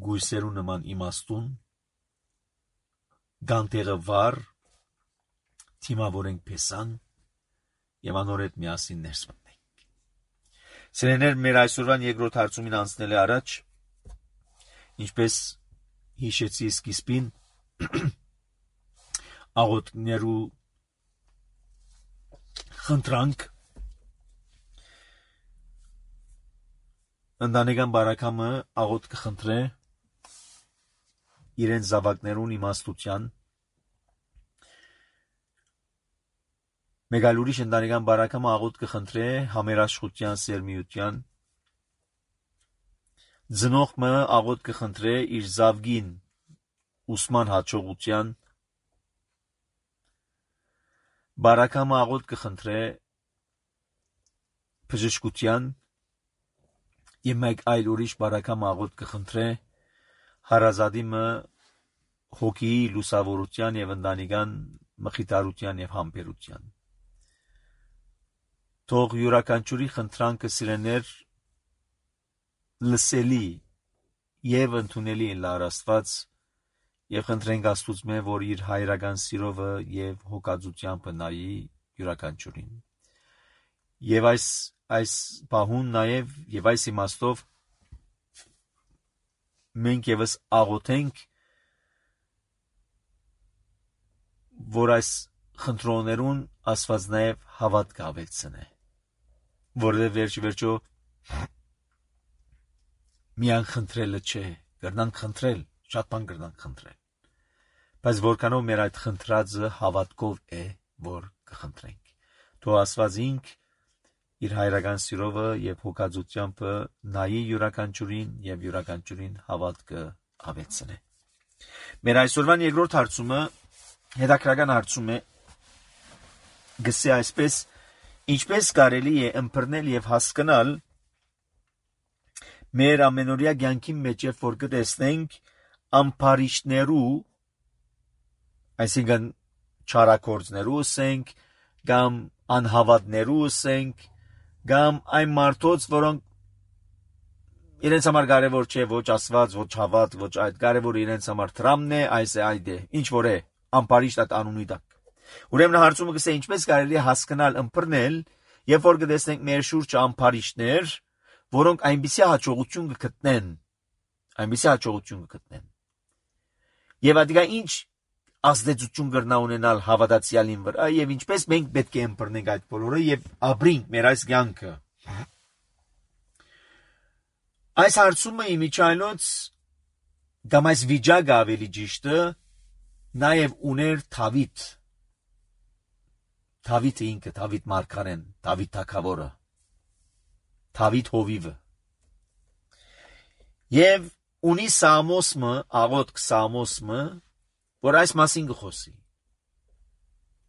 գույսերու նման իմաստուն գանտեղը վար թիմավորենք փեսան եւ անոր հետ միասին ներս մտնենք սերեներ մեր այսօրվան երկրորդ հարցումին անցնել է առաջ ինչպես հիշեցի սկիզբին աղոթքներու խնդրանք ընտանեկան բարակամը աղոթ կխնդրե իրեն զավակներուն իմաստության մեկ այլ ուրիշ ընտանեկան բարակամը աղոթ կխնդրե համերաշխության սերմիության ծնողը աղոթ կխնդրե իր զավգին ուսման հաջողության բարակամը աղոթ կխնդրե բժշկության եւ մեկ այլ ուրիշ բարակամը աղոթ կխնդրե հարազատիմը հոգի լուսավորության եւ ընտանեկան մխիթարության եւ համբերության թող յուրաքանչյուրի խնդրանքը սիրեներ լսելի եւ ընդունելի լար Աստված եւ խնդրենք Աստծո որ իր հայրական սիրովը եւ հոգածությամբ նայի յուրաքանչյուրին եւ այս այս բահուն նաեւ եւ այս իմաստով մենք եւս աղոթենք որ այս խնդրոներուն Աստված նաեւ հավատք ավելցնե որը վերջ վերջո միան խնդրելը չէ կրնանք խնդրել շատ բան կրնանք խնդրել բայց որքանով մեր այդ խնդրածը հավատքով է որ կխնդրենք թող Աստված ինք իր հայրական սիրովը եւ հոգածությամբ նայի յուրաքանչյուրին եւ յուրաքանչյուրին հավատքը ավեցնե։ Մեր այսօրվան երկրորդ հարցումը հետաքրական հարցում է, գսե այսպես. ինչպես կարելի է ըմբռնել եւ հասկանալ մեր ամենօրյա կյանքի մեջ, երբ որ կտեսնենք ամփարիչներու, այսինքն չարակորձներու ասենք, կամ անհավատներու ասենք, կամ այն մարդոց, որոնք իրենց համար կարևոր չէ ոչ Աստված, ոչ հավատ, ոչ այդ, կարևոր իրենց համար տրամն է, այս է, այդ է, ինչ որ է, ամփարիչ այդ անունի տակ։ Ուրեմն հարցումը կսե ինչպես կարելի է հասկանալ ըմբռնել, երբ որ կտեսնենք մեր շուրջը ամփարիչներ, որոնք այնպիսի հաջողություն կգտնեն, այնպիսի հաջողություն կգտնեն։ Եվ ադիգա ինչ ազդեցություն կրնա ունենալ հավատացյալին վրա, եւ ինչպես մենք պետք է ըմբռնենք այդ բոլորը եւ ապրենք մեր այս կյանքը։ Այս հարցումը իմիջայլոց կամ այս վիճակը ավելի ճիշտը նաեւ ուներ Դավիթ։ Դավիթը ինքը, Դավիթ մարգարեն, Դավիթ թագավորը, Դավիթ հովիվը։ Եվ ունի Սամոսը, աղոթք Սամոսը, որ այս մասին կխոսի։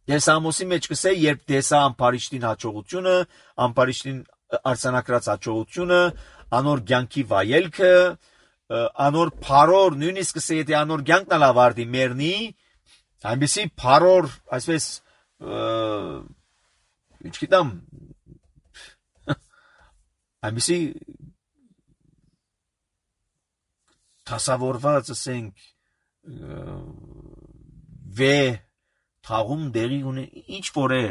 Եվ Սամոսի մեջ կսե, երբ տեսա ամփարիչին հաջողությունը, ամփարիչին արձանագրած հաջողությունը, անոր կյանքի վայելքը, անոր փարոր, նույնիսկ կսե, եթե անոր կյանքն ավարտի մեռնի, այնպեսի փարոր, այսպես ինչքիդամ այնպեսի տասավորված ասենք վե թաղում դերի ունի ինչ որ է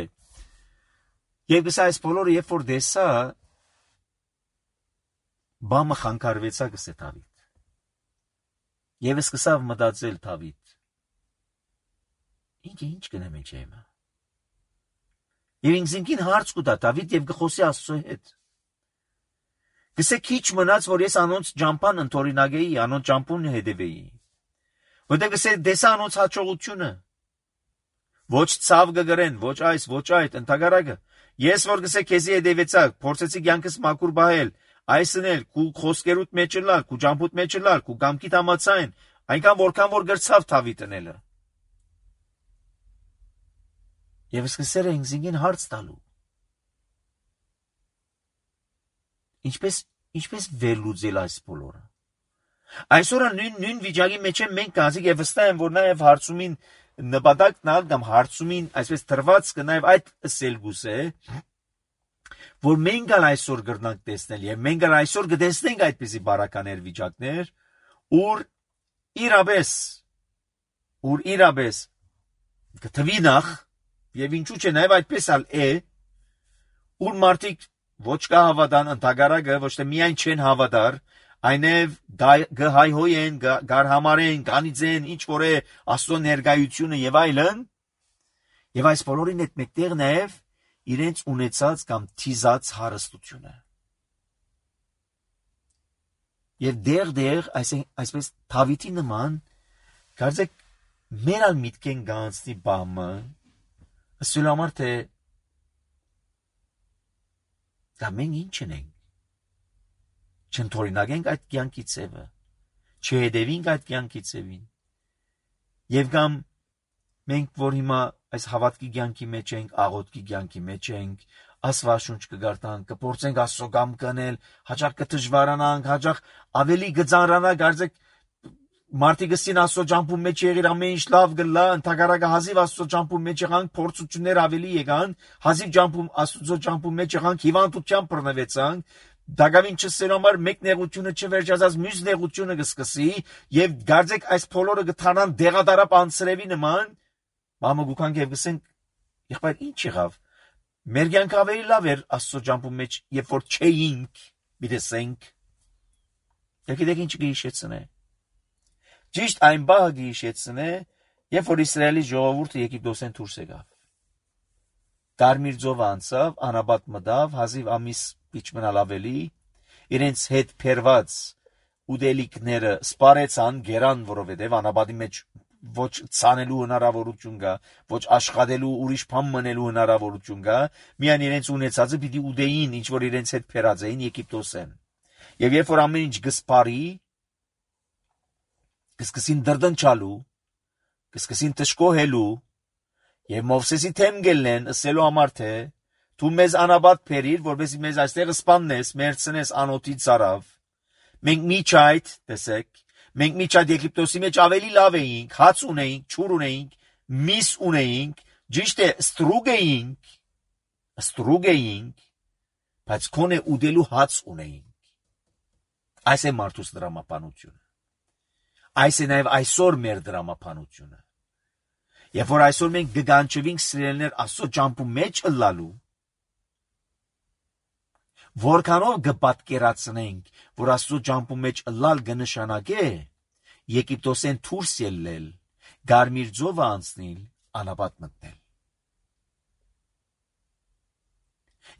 եւ գսա այս բոլորը երբ որ դեսա բամը խանգարվեցա գսե Դավիթ եւ սկսավ մտածել Դավիթ ինքը ինչ կնեմ ինչ եմ Եվ ինքնին հարց կուտա Դավիթ եւ գխոսի Աստծո հետ։ Գսե քիչ մնաց, որ ես անոնց ջամփան ընթորինագեի, անոնց ջամփուն հետևեի։ Որտեղ գսե դեսա անոնց հաջողությունը։ Ոչ ցավ կգրեն, ոչ այս, ոչ այդ, ընդհանրակը։ Ես որ գսե քեզի հետևեցա, փորձեցի կյանքս մաքուր բահել, այսն էլ քու խոսքերուտ մեջ լալ, քու ջամփուտ մեջ լալ, քու գամքիդ համացայն, այնքան որքան որ գրծավ Դավիթն էլը։ Եվ սկսել է ինքնին հարց տալու։ Ինչպես ինչպես վերլուծել այս բոլորը։ Այսօր նույն նույն վիճակի մեջ մենք գազիկ եւ վստահ եմ, որ նաեւ հարցումին նպատակն ալ կամ հարցումին այսպես դրված կը նաեւ այդ ասել գուսե, որ մենք ալ այսօր գրնանք տեսնել եւ մենք ալ այսօր կտեսնենք այդպիսի բարականեր վիճակներ, ուր իրապես ուր իրապես գտվի նախ Եվ ինչու՞ չէ, նաև այդպես ալ է, ուր մարդիկ ոչ կա հավատան, ընդհանրակը ոչ թե միայն չեն հավատար, այնև գհայհոյեն, գարհամարեն, գանիձեն, ինչ որ է Աստծո ներկայությունը եւ այլն, եւ այս բոլորին հետ մեկտեղ նաև իրենց ունեցած կամ թիզած հարստությունը։ Եվ դեր-դեր, այսպես Դավիթի նման, կարծեք մեր ալ միտքեն գանցնի բամը, Ասել համար թե դա մենք ինչ ենք, չընթորինագենք այդ կյանքի ծևը, չհետևենք այդ կյանքի ծևին, և կամ մենք, որ հիմա այս հավատքի կյանքի մեջ ենք, աղոթքի կյանքի մեջ ենք, Աստվածաշունչ կգարտանք, կփորձենք Աստծո կամքը կնել, հաճախ կդժվարանանք, հաճախ ավելի կծանրանանք, կարծեք Մարդիկ ասին Աստծո ջամփու մեջ եղիր ամեն ինչ լավ գլա, ընդհանրակը հազիվ Աստծո ջամփու մեջ եղանք, փորձություններ ավելի եկան, հազիվ ջամփու Աստծո ջամփու մեջ եղանք, հիվանդությամբ բռնվեցանք, դակավին չսերու համար մեկ նեղությունը չվերջացած մյուս նեղությունը կսկսի, եւ գարձեք այս բոլորը կթանան դեղադարապ անցրևի նման, մամը գուքանք եւ գսենք, եղբայր ինչ եղավ։ Մեր կյանքը ավելի լավ էր Աստծո ջամփու մեջ, երբ որ չէինք, միտեսենք։ Եկեք ինչ կհիշեցնե։ Ճիշտ այն բահը գիշեցն է, երբ որ Իսրայելի ժողովուրդը Եգիպտոսեն դուրս եկավ։ Կարմիր ծովը անցավ, անաբատ մտավ, հազիվ ամիս իջմնալ ավելի, իրենց հետ փերված ուդելիքները սպարեցան, գերան, որովհետև անաբատի մեջ ոչ ցանելու հնարավորություն կա, ոչ աշխատելու ուրիշ բան մնելու հնարավորություն կա, միայն իրենց ունեցածը պիտի ուդեին, ինչ որ իրենց հետ փերած էին Եգիպտոսեն։ Եվ երբ որ ամեն ինչ գսպարի, կսկսին դրդնչալու, կսկսին տշկոհելու, եւ Մովսեսի թեմ գելնեն, ասելու համար թե դու մեզ անաբադ փերիր, որովհետեւ մեզ այստեղ սպաննես, մերցնես անոթի ծարավ։ Մենք միջայդ, տեսեք, մենք միջայդ Եգիպտոսի մեջ ավելի լավ էինք, հաց ունեինք, չուր ունեինք, միս ունեինք, ճիշտ է, ստրուգ էինք, ստրուգ էինք, բայց քոնե ուդելու հաց ունեինք։ Այս է մարդուս դրամապանությունը։ Այս է նաև այսօր մեր դրամապանությունը։ Երբ որ այսօր մենք գգանչվենք սիրելիներ Աստծո ճամփու մեջ ըլլալու, որքանով կպատկերացնենք, որ Աստծո ճամփու մեջ ըլլալ կնշանակե Եգիպտոսեն դուրս ելնել, Գարմիր ծովը անցնել, անապատ մտնել։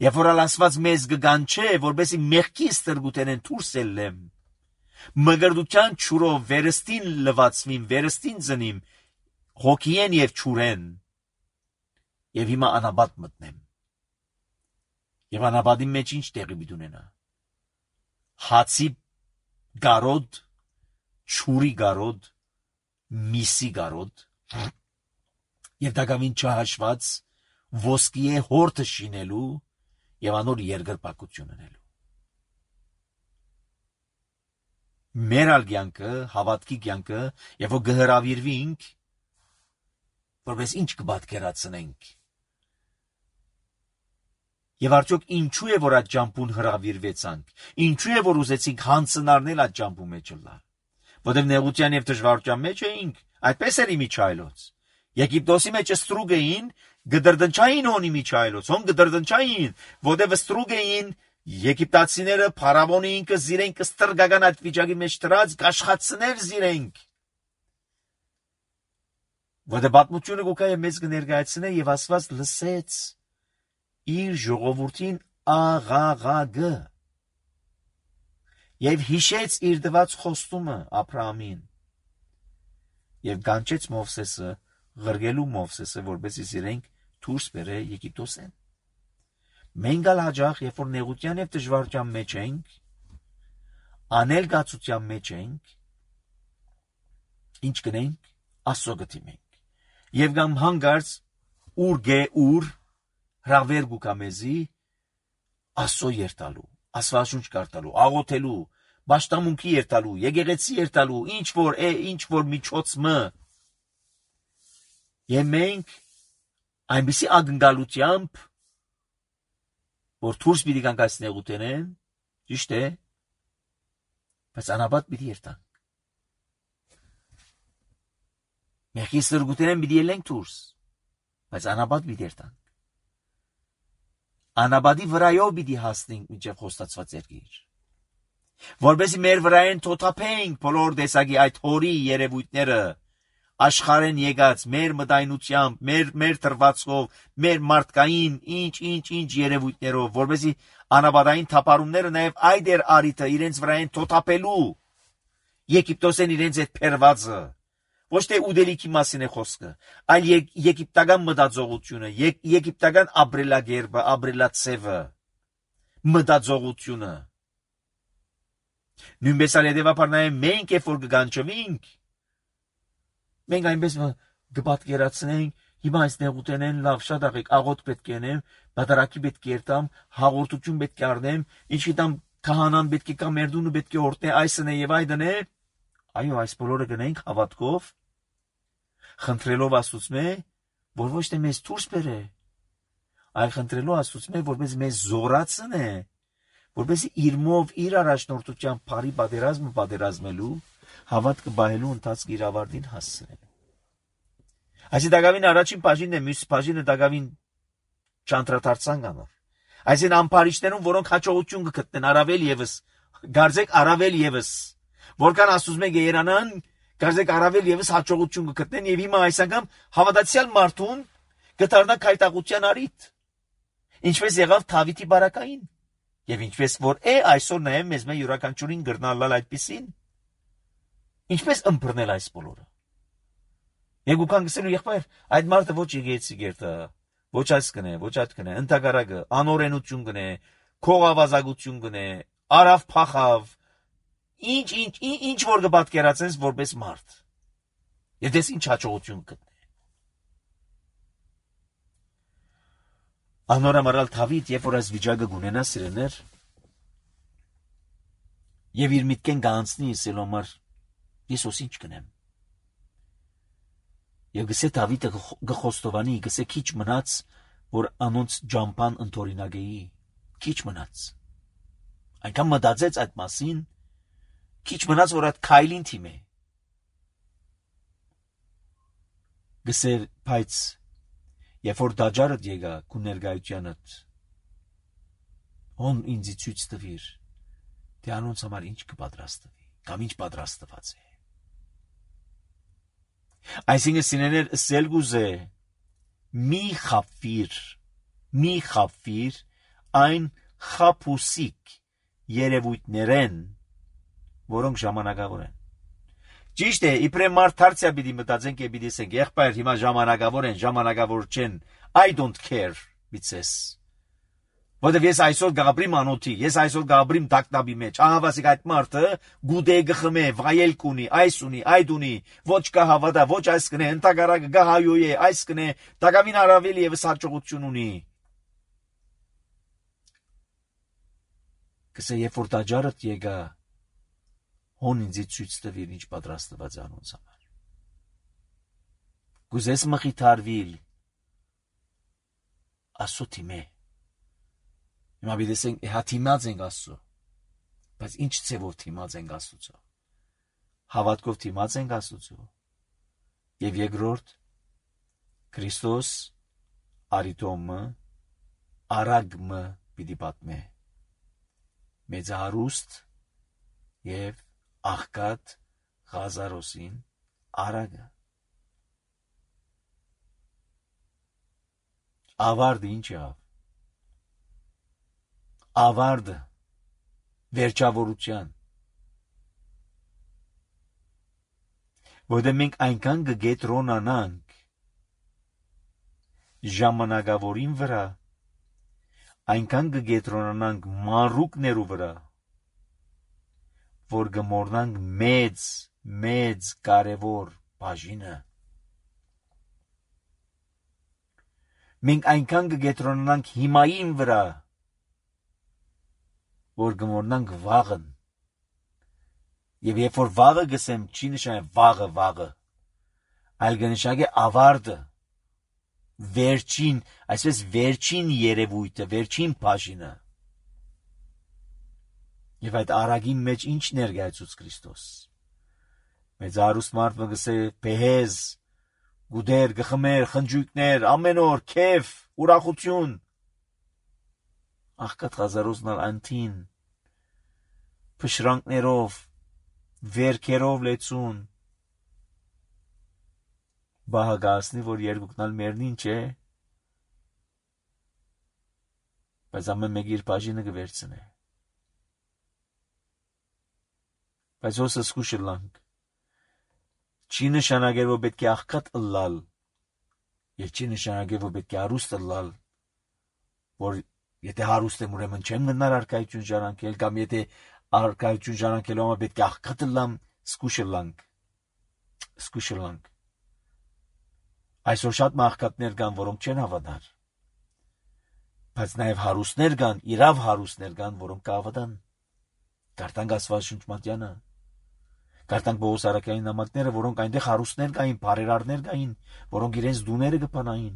Երբ որ Աստված մեզ կգանչե, որպեսզի մեղքի ստրգութենեն դուրս ելնեմ, մգրդության ճուրով վերստին լվացվին, վերստին ծնիմ, հոգիեն եւ ճուրեն, եւ հիմա անապատ մտնեմ։ Եվ անապատի մեջ ինչ տեղի պիտի ունենա։ Հացի գարոդ, ճուրի գարոդ, միսի գարոդ, եւ դակամին չհաշված ոսկիե հորտը շինելու եւ անոր երկրպագություն ունենալու։ Մեր ալգյանքը, հավատքի կյանքը, եւ որ գհրավիրվինք, որպես ինչ կպատկերացնենք։ Եվ արդյոք ինչու է որ այդ ճամփուն հրավիրվեցանք, ինչու է որ ուզեցինք հանցնարնել այդ ճամփու մեջ ըլլալ, որտեղ նեղության եւ դժվարության մեջ էինք, այդպես էր Միչայլոց։ Եգիպտոսի մեջ ստրուգ էին, գդրդնչային հոնի Միչայլոց, հոն գդրդնչային, որտեղ ստրուգ էին եգիպտացիները փարավոնի ինքը զիրենք ստրգական այդ վիճակի մեջ դրած կաշխատցներ զիրենք։ Որտեղ պատմությունը գոկայ մեզ կներկայացնե եւ Աստված լսեց իր ժողովրդին աղաղագը եւ հիշեց իր դված խոստումը Աբրահամին եւ գանչեց Մովսեսը, ղրգելու Մովսեսը, որպեսզի իրենք դուրս բերե Եգիպտոսեն։ Մենք ալ հաջող, երբ որ նեղության եւ դժվարության մեջ ենք, անել գացության մեջ ենք, ինչ կնենք, Աստծո գտիմենք։ Եվ գամ հանգարց ուր գե ուր հրավեր գուկամեզի Աստծո երթալու, Աստվածաշունչ կարդալու, աղոթելու, պաշտամունքի երթալու, եկեղեցի երթալու, ինչ որ է, ինչ որ միջոցը։ Եվ մենք այնպիսի ակնկալությամբ, որ դուրս պիտի գանք այս նեղութենեն, ճիշտ է, բայց անապատ պիտի երթանք։ Մեղքի ստրգութենեն պիտի ելենք դուրս, բայց անապատ պիտի երթանք։ Անապատի վրայով պիտի հասնենք մինչև խոստացված երկիր, որպեսզի մեր վրայեն թոթափենք բոլոր տեսակի այդ հորի երևույթները, աշխարհեն եկած մեր մտայնությամբ, մեր մեր թրվածքով, մեր մարդկային ինչ-ինչ-ինչ երևույթներով, որպեսզի անապատային թափառումները նաև այդ էր արիթը իրենց վրայեն թոթափելու, Եգիպտոսեն իրենց այդ փերվածը, ոչ թե ուդելիքի մասին է խոսքը, այլ եգիպտական մտածողությունը, եգիպտական ապրելակերպը, ապրելացևը, մտածողությունը։ Նույնպես ալ հետևաբար նաև մենք երբ որ կգանչվենք, մենք այնպես կպատկերացնենք, հիմա այս նեղութենեն լավ շատ աղեք, աղոտ պետք է անեմ, բادرակի պետք է երթամ, հաղորդություն պետք է առնեմ, ինչ գիտեմ քահանան պետք է կա մերդունը պետք է օրտնե, այսն է եւ այդն է։ Այո, այս բոլորը գնենք հավատքով, խնդրելով Աստծո, որ ոչ թե մեզ դուրս բերե, այլ խնդրելով Աստծո, որպես մեզ զորացնե, որպես իր մով իր առաջնորդությամբ բարի պատերազմը պատերազմելու, հավատքը բահելու ընթացք իր ավարտին հասցնելու։ Այսի դակավին առաջին բաժինն է, մյուս բաժինը դակավին չանդրադարձան գանով։ Այսին ամփարիչներում, որոնք հաջողություն կգտնեն առավել եւս, գարձեք առավել եւս, որքան Աստծո գերանան, գարձեք առավել եւս հաջողություն կգտնեն եւ հիմա այս անգամ հավատացյալ մարդուն կդառնա քայտաղության արիթ։ Ինչպես եղավ Դավիթի բարակային, եւ ինչպես որ է այսօր նաեւ մեզ մեր յուրաքանչյուրին գրնալալ այդպեսին։ Ինչպես ըմբռնել այս բոլորը։ Եվ գուքան գսելու եղբայր, այդ մարդը ոչ եկեցի գերտա, ոչ այս կնե, ոչ այդ կնե, ընդհակառակը, անօրենություն կնե, քողավազագություն կնե, արավ փախավ, ինչ, ինչ, ինչ որ կպատկերացնես որպես մարդ։ Եվ դες ինչ հաջողություն կտնե։ Անորամարալ Դավիթ, երբ որ այս վիճակը գունենա սիրեներ, եւ իր միտքեն գանցնի ասելու համար, ես ոս ինչ կնեմ։ Եվ գսե Դավիթը գխոստովանի, գսե քիչ մնաց, որ անոնց ջամփան ընթորինագեի, քիչ մնաց։ Այնքան մտածեց այդ մասին, քիչ մնաց, որ այդ քայլին թիմե։ Գսեր, բայց երբ որ դաջարդ եկա քու ներկայությանդ, հոն ինձ ցույց տվիր, թե անոնց համար ինչ կպատրաստվի, կամ ինչ պատրաստված է։ Այսինքն սիներներ սելգուզե մի խափվիր, մի խափվիր այն խափուսիկ երևույթներեն, որոնք ժամանակավոր են։ Ճիշտ է, իբրե մարդ դարձյալ պիտի մտածենք եւ պիտի ասենք, եղբայր հիմա ժամանակավոր են, ժամանակավոր չեն, I don't care, բիցես։ Որտեւ ես այսօր գաբրիմ անոթի, ես այսօր գաբրիմ դակտաբի մեջ, ահավասիկ այդ մարդը գուդե գխմե, վայել կունի, այս ունի, այդ ունի, ոչ կա հավատա, ոչ այս կնե, ընդհակառակը գահայոյ է, այս կնե, դակավին արավելի եւս հաջողություն ունի։ Կսե երբ որ դաջարդ եկա, հոն ինձի ցույց տվիր ինչ պատրաստված է անոնց համար։ Գուզես մխիթարվիլ, ասո թիմե։ Հիմա բիդեսենք, հա թիմած ենք ասո, բայց ինչ ծևով թիմած ենք ասուցո։ Հավատքով թիմած ենք ասուցո։ Եվ երկրորդ, Քրիստոս արիտոմը, արագմը պիտի պատմե։ Մեծահարուստ և աղքատ Ղազարոսին արագը։ Ավարդը ինչ եղավ։ Ավարդը վերջավորության։ Որտեղ մենք այնքան կգետրոնանանք ժամանակավորին վրա, այնքան կգետրոնանանք մանրուկներու վրա, որ գմորնանք մեծ, մեծ կարևոր բաժինը։ Մենք այնքան կգետրոնանանք հիմային վրա, որ գմորնանք վաղն։ Եվ երբ որ վաղը գսեմ, չի նշանակի վաղը վաղը, այլ կնշանակի ավարտը, վերջին, այսպես վերջին երևույթը, վերջին բաժինը։ Եվ այդ արագի մեջ ինչ ներկայացուց Քրիստոս։ Մեծ արուստ մարդ մգսե փեհեզ, գուդեր, գխմեր, խնջույքներ, ամեն օր քեֆ, ուրախություն։ Աղքատ Ղազարոսն անտին, փշրանքներով, վերքերով լեցուն։ Բահագասնի, որ երկուքնալ մերնին չէ, բայց ամեն մեկ իր բաժինը կվերցնե։ Բայց ոսը սկուշը լանք, չի նշանագեր, որ պետք է աղքատ ըլլալ, և չի նշանագեր, որ պետք է հարուստ ըլլալ, որ եթե հարուստ եմ ուրեմն չեմ գնար արկայություն ժարանքել, կամ եթե արկայություն ժարանքելու համար պետք է աղքատ ըլլամ, սկուշը լանք, սկուշը լանք։ Այսօր շատ աղքատներ կան, որոնք չեն հավատար, բայց նաև հարուստներ կան, իրավ հարուստներ կան, որոնք կհավատան։ Կարդանք Աստվածաշունչ Մատյանը, կարդանք Պողոս առաքյալի նամակները, որոնք այնտեղ հարուստներ կային, բարերարներ կային, որոնք իրենց դուները կփանային։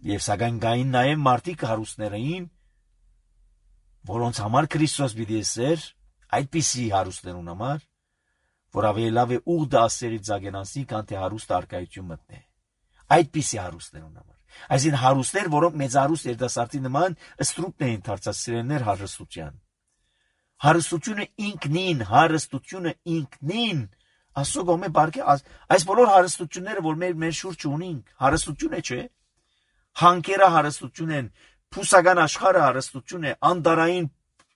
Եվ սակայն կային նաև մարդիկ հարուստներ էին, որոնց համար Քրիստոս պիտի ասեր, այդպիսի հարուստներուն համար, որ ավելի լավ է ուղդը ասերի ձագենանցի, քան թե հարուստ արկայություն մտնե։ Այդպիսի հարուստներուն համար։ Այսինքն հարուստներ, որոնք մեծարուստ երիտասարդի նման ստրուկն էին դարձած սիրելիներ հարստության։ Հարստությունը ինքնին, հարստությունը ինքնին, ասո գոմե բարգե, այս բոլոր հարստությունները, որ մեր մեր շուրջ ունենք, հարստություն է, չէ։ Հանքերը հարստություն են, փուսական աշխարհը հարստություն է, անդարային,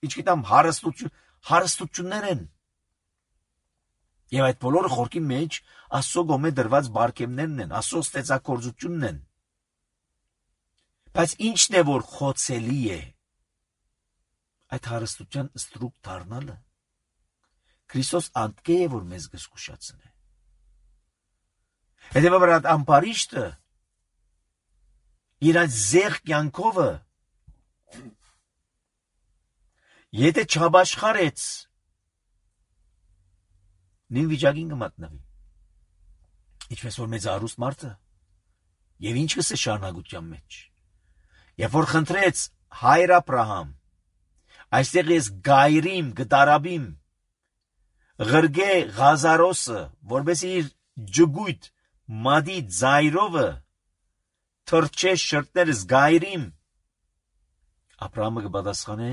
ինչ գիտեմ, հարստություն, հարստություններ են։ Եվ այդ բոլորը խորքի մեջ Աստծո գոմե դրված բարգևներն են, Աստծո ստեղծագործությունն են։ Բայց ինչն է որ խոցելի է այդ հարստության ստրուկ դառնալը։ Քրիստոս անդկե է որ մեզ գսկուշացնե։ Հետևաբար այդ ամպարիշտը իր այդ զեղ կյանքովը եթե չաբաշխարեց նույն վիճակին կմատնվի։ Ինչպես որ մեծ հարուստ մարդը եւ ինչ կսե շարունակության մեջ։ Երբ որ խնդրեց հայր Աբրահամ, այստեղ ես գայրիմ, գդարաբիմ, ղրգե Ղազարոսը, որբեսի իր ջգույթ մադի ձայրովը թրջե շրտներս գայրիմ, Աբրահամը կպատասխանե,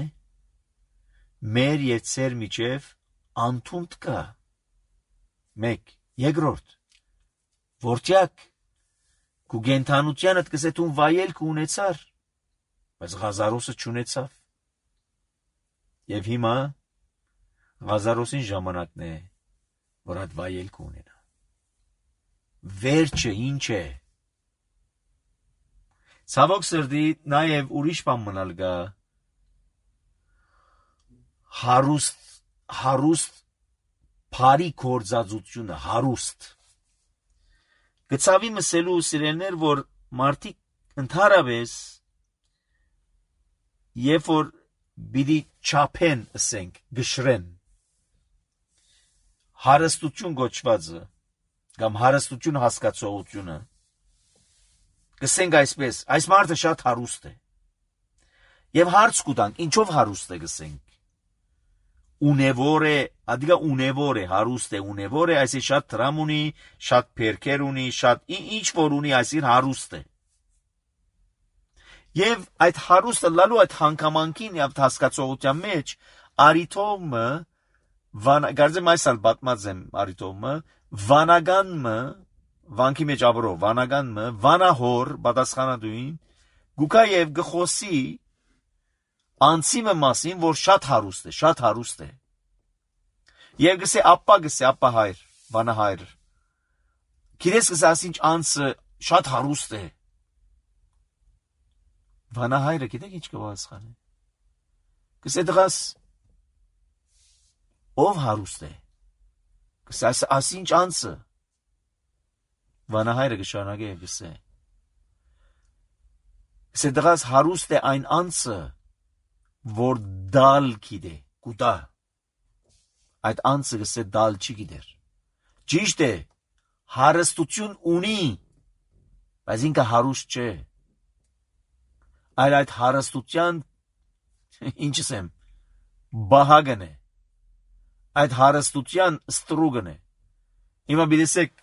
մեր եւ ծեր միջև անթունդ կա։ Մեկ, երկրորդ, որտյակ քու գենթանությանդ կսե տուն վայելք ունեցար, բայց Ղազարոսը չունեցավ։ Եվ հիմա Ղազարոսին ժամանակն է, որ այդ վայելք ունենա։ Վերջը ինչ է։ Ցավոք սրտի նաև ուրիշ բան մնալ գա։ Հարուստ, հարուստ Փարի կորձածությունը, հարուստ։ Գծավի մսելու սիրելներ, որ մարդիկ ընդհանրապես երբ որ բիդի չափեն, ասենք, գշրեն, հարստություն գոչվածը, կամ հարստություն հասկացողությունը, գսենք այսպես, այս մարդը շատ հարուստ է։ Եվ հարց կուտանք, ինչով հարուստ է գսենք։ Ունևոր է, ադիգա ունևոր է, հարուստ է, ունևոր է, այսի շատ տրամ ունի, շատ պերքեր ունի, շատ ինչ որ ունի, այսին հարուստ է։ Եվ այդ հարուստը լալու այդ հանգամանքին և հասկացողության մեջ արիթոմը, գարձեմ այս ալ բատմած եմ արիթոմը, վանագանմը, վանքի մեջ աբրով, վանագանմը, վանահոր, բատասխանադույն, գուկա և գխոսի, անցիմը մասին, որ շատ հարուստ է, շատ հարուստ է։ Եվ գսե ապա գսե, ապա հայր, վանահայր։ Գիտես գսե ասինչ անցը շատ հարուստ է։ Վանահայրը գիտեք ինչ կպատասխանի։ Գսե դղաս ով հարուստ է։ Գսե ասինչ անցը։ Վանահայրը կշարունակե եւ գսե։ Գսե դղաս հարուստ է այն անցը, որ դալ գիտե, կուտա, այդ անցը գսե դալ չի գիտեր, ճիշտ է, հարստություն ունի, բայց ինքը հարուստ չէ, այլ այդ հարստության, ինչս եմ, բահագն է, այդ հարստության ստրուգն է, հիմա բիդեսեք,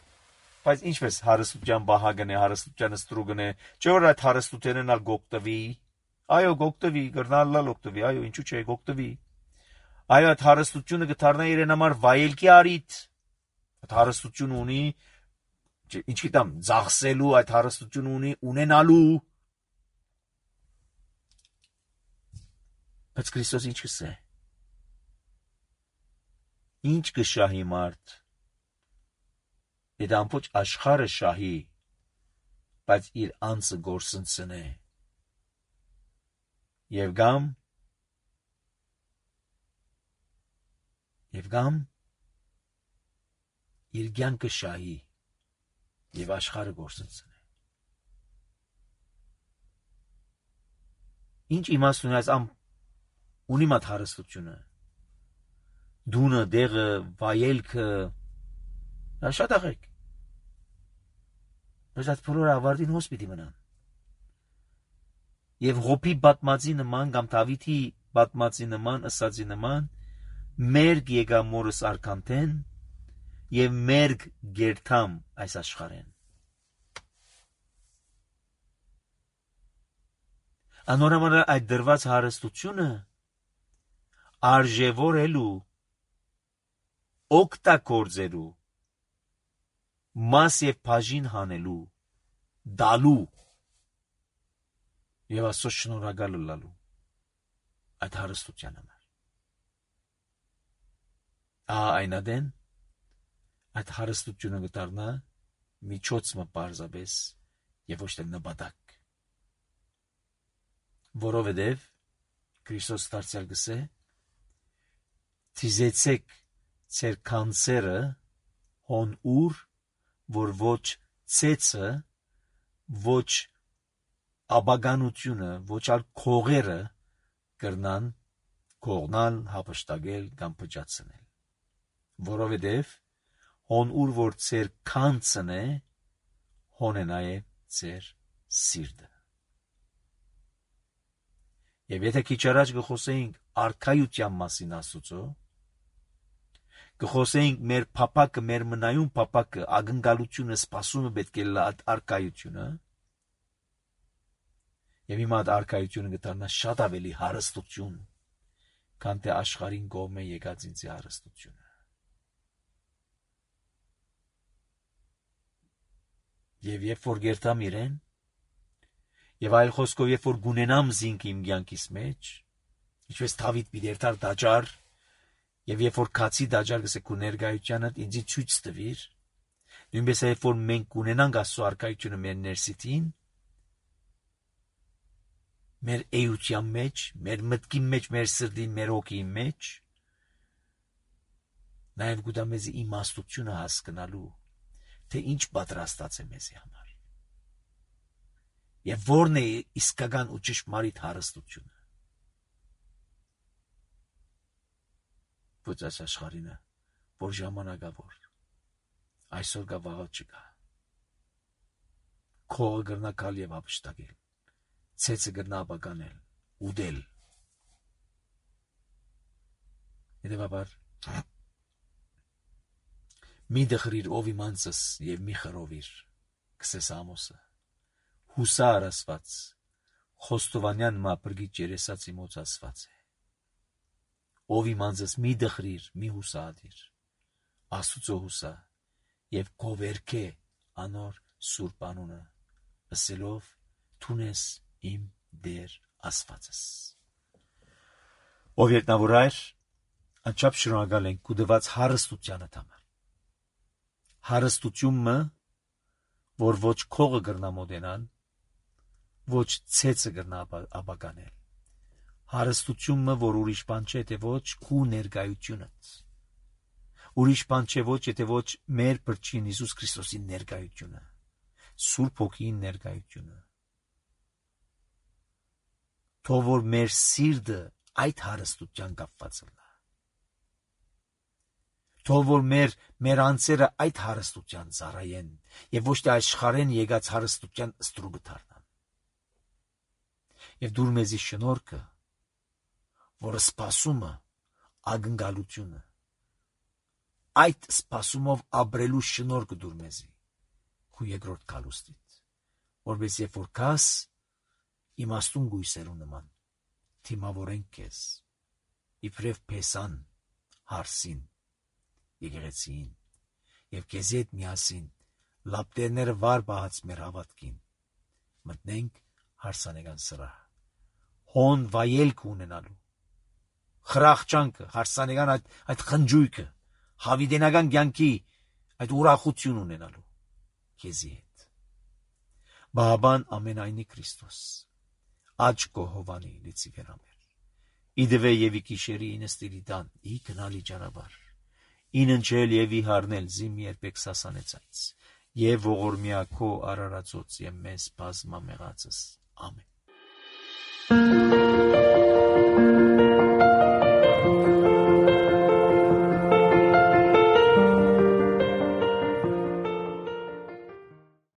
բայց ինչպես հարստության բահագն է, հարստության ստրուգն է, չէ որ այդ հարստութենն ալ գոկտվի, այո գոկտվի, գրնալլալ օկտվի, այո ինչու չէ գոկտվի, այո այդ հարստությունը գտարնա իրեն համար վայելքի արիտ, այդ հարստություն ունի, ինչ գիտամ, ձախսելու, այդ հարստություն ունի, ունենալու, բայց Քրիստոս ինչ կսե, ինչ կշահի մարդ, եթե ամբողջ աշխարհը շահի, բայց իր անձը գործընծնե, Եվ գամ, և գամ, իր կյանքը շահի, և աշխարհը գործընծնե։ Ինչ իմաստ ունի այս ամ ունի մատ հարստությունը, դունը, դեղը, վայելքը, շատ աղեք, բայց այդ բոլորը ավարտին հոս պիտի մնան։ Եվ Ղոբի բատմածի նման, կամ Դավիթի բատմածի նման, ըսածի նման, մերգ եկա մորս արքանթեն, և մերգ գերթամ այս աշխարհեն։ Անորոմալ այդ դրված հարստությունը արժևորելու, օգտագործելու, մաս և բաժին հանելու, դալու և Աստծո շնորհակալ լալու այդ հարստության համար։ Ահա այնադեն այդ հարստությունը կդառնա միջոցը պարզապես եւ ոչ թե նպատակ, որովհետեւ Քրիստոս դարձյալ գսե թիզեցեք ձեր կանցերը հոն ուր, որ ոչ ցեցը, ոչ աբագանությունը, ոչ ալ քողերը կրնան կողնալ, հապշտակել կամ փճացնել, որովհետև հոն ուր որ ձեր կանցն է, հոն է նաև ձեր սիրտը։ Եվ եթե քիչ առաջ կխոսեինք արքայության մասին Աստծո, կխոսեինք մեր փապակը, մեր մնայուն փապակը, ակնկալությունը, սպասումը պետք է լա արքայությունը, եւ հիմա այդ արքայությունը կդառնա շատ ավելի հարստություն, քան թե աշխարհին կողմը եկած ինձ հարստությունը։ Եվ երբ որ գերտամ իրեն, եւ այլ խոսքով երբ որ գունենամ զինք իմ կյանքիս մեջ, ինչպես Դավիթ պիտի երթար դաջար, եւ երբ որ քացի դաջար գսե քու ներկայությանը ինձ ցույց տվիր, նույնպես երբ որ մենք կունենանք Աստծո արքայությունը մեր ներսիտին, մեր էության մեջ, մեր մտքի մեջ, մեր սրտի, մեր հոգի մեջ, նաեւ գուտա մեզ իմաստությունը հասկանալու, թե ինչ պատրաստած է մեզի համար։ Եվ որն է իսկական ու ճշմարիտ հարստությունը։ Ոչ այս աշխարհինը, որ ժամանակավոր, այսօր կա վաղը չկա։ Քողը գրնա գալ եւ ապշտակել, ցեցը գրնա ապականել, ուդել։ Հետևաբար մի դխրիր ով իմանցս եւ մի խրովիր, կսես Ամոսը, հուսա արասված, Խոստովանյան մապրգի ջերեսացի մոց ասված է։ Ով իմանցս մի դխրիր, մի հուսադիր, Աստուծո հուսա եւ կովերքե անոր սուրբ անունը, ասելով թունես իմ դեր ասվածս։ Ով երտնավորայր, անչափ շնորհակալ ենք կուդված հարստությանը համար։ Հարստությունը, որ ոչ քողը գրնա մոդենան, ոչ ցեցը գրնա ապականել։ Հարստությունը, որ ուրիշ բան չէ, թե ոչ քու ներկայությունդ։ Ուրիշ բան չէ ոչ, եթե ոչ մեր Փրկին Հիսուս Քրիստոսի ներկայությունը, Սուրբ Հոգին ներկայությունը։ Թող որ մեր սիրտը այդ հարստության կապված լա։ Թող որ մեր մեր անձերը այդ հարստության ծառայեն եւ ոչ թե աշխարհեն եկած հարստության ստրուկը դառնան։ Եվ դուր մեզի շնորհքը, որը սպասումը, ակնկալությունը, այդ սպասումով ապրելու շնորհքը դուր մեզի, քու երկրորդ կալուստից, որպես երբ որ կաս իմաստուն գույսերու նման, թիմավորենք քեզ, իբրև փեսան, հարսին, եկեղեցին, եւ քեզի հետ միասին լապտերները վար բահած մեր հավատքին, մտնենք հարսանեկան սրահ, հոն վայելք ունենալու, խրախճանքը, հարսանեկան այդ, այդ խնջույքը, հավիտենական կյանքի այդ ուրախություն ունենալու քեզի հետ։ Բաբան ամենայնի Քրիստոս, աճ կոհովանի լիցի վերամեր, իդվե եւ իկիշերի ինստիրի դան, ի կնալի ճանապարհ, ինընչել եւ իհարնել զիմ երբեք սասանեցած, եւ ողորմյա քո արարածոց եւ մեզ բազմամեղածս, ամեն։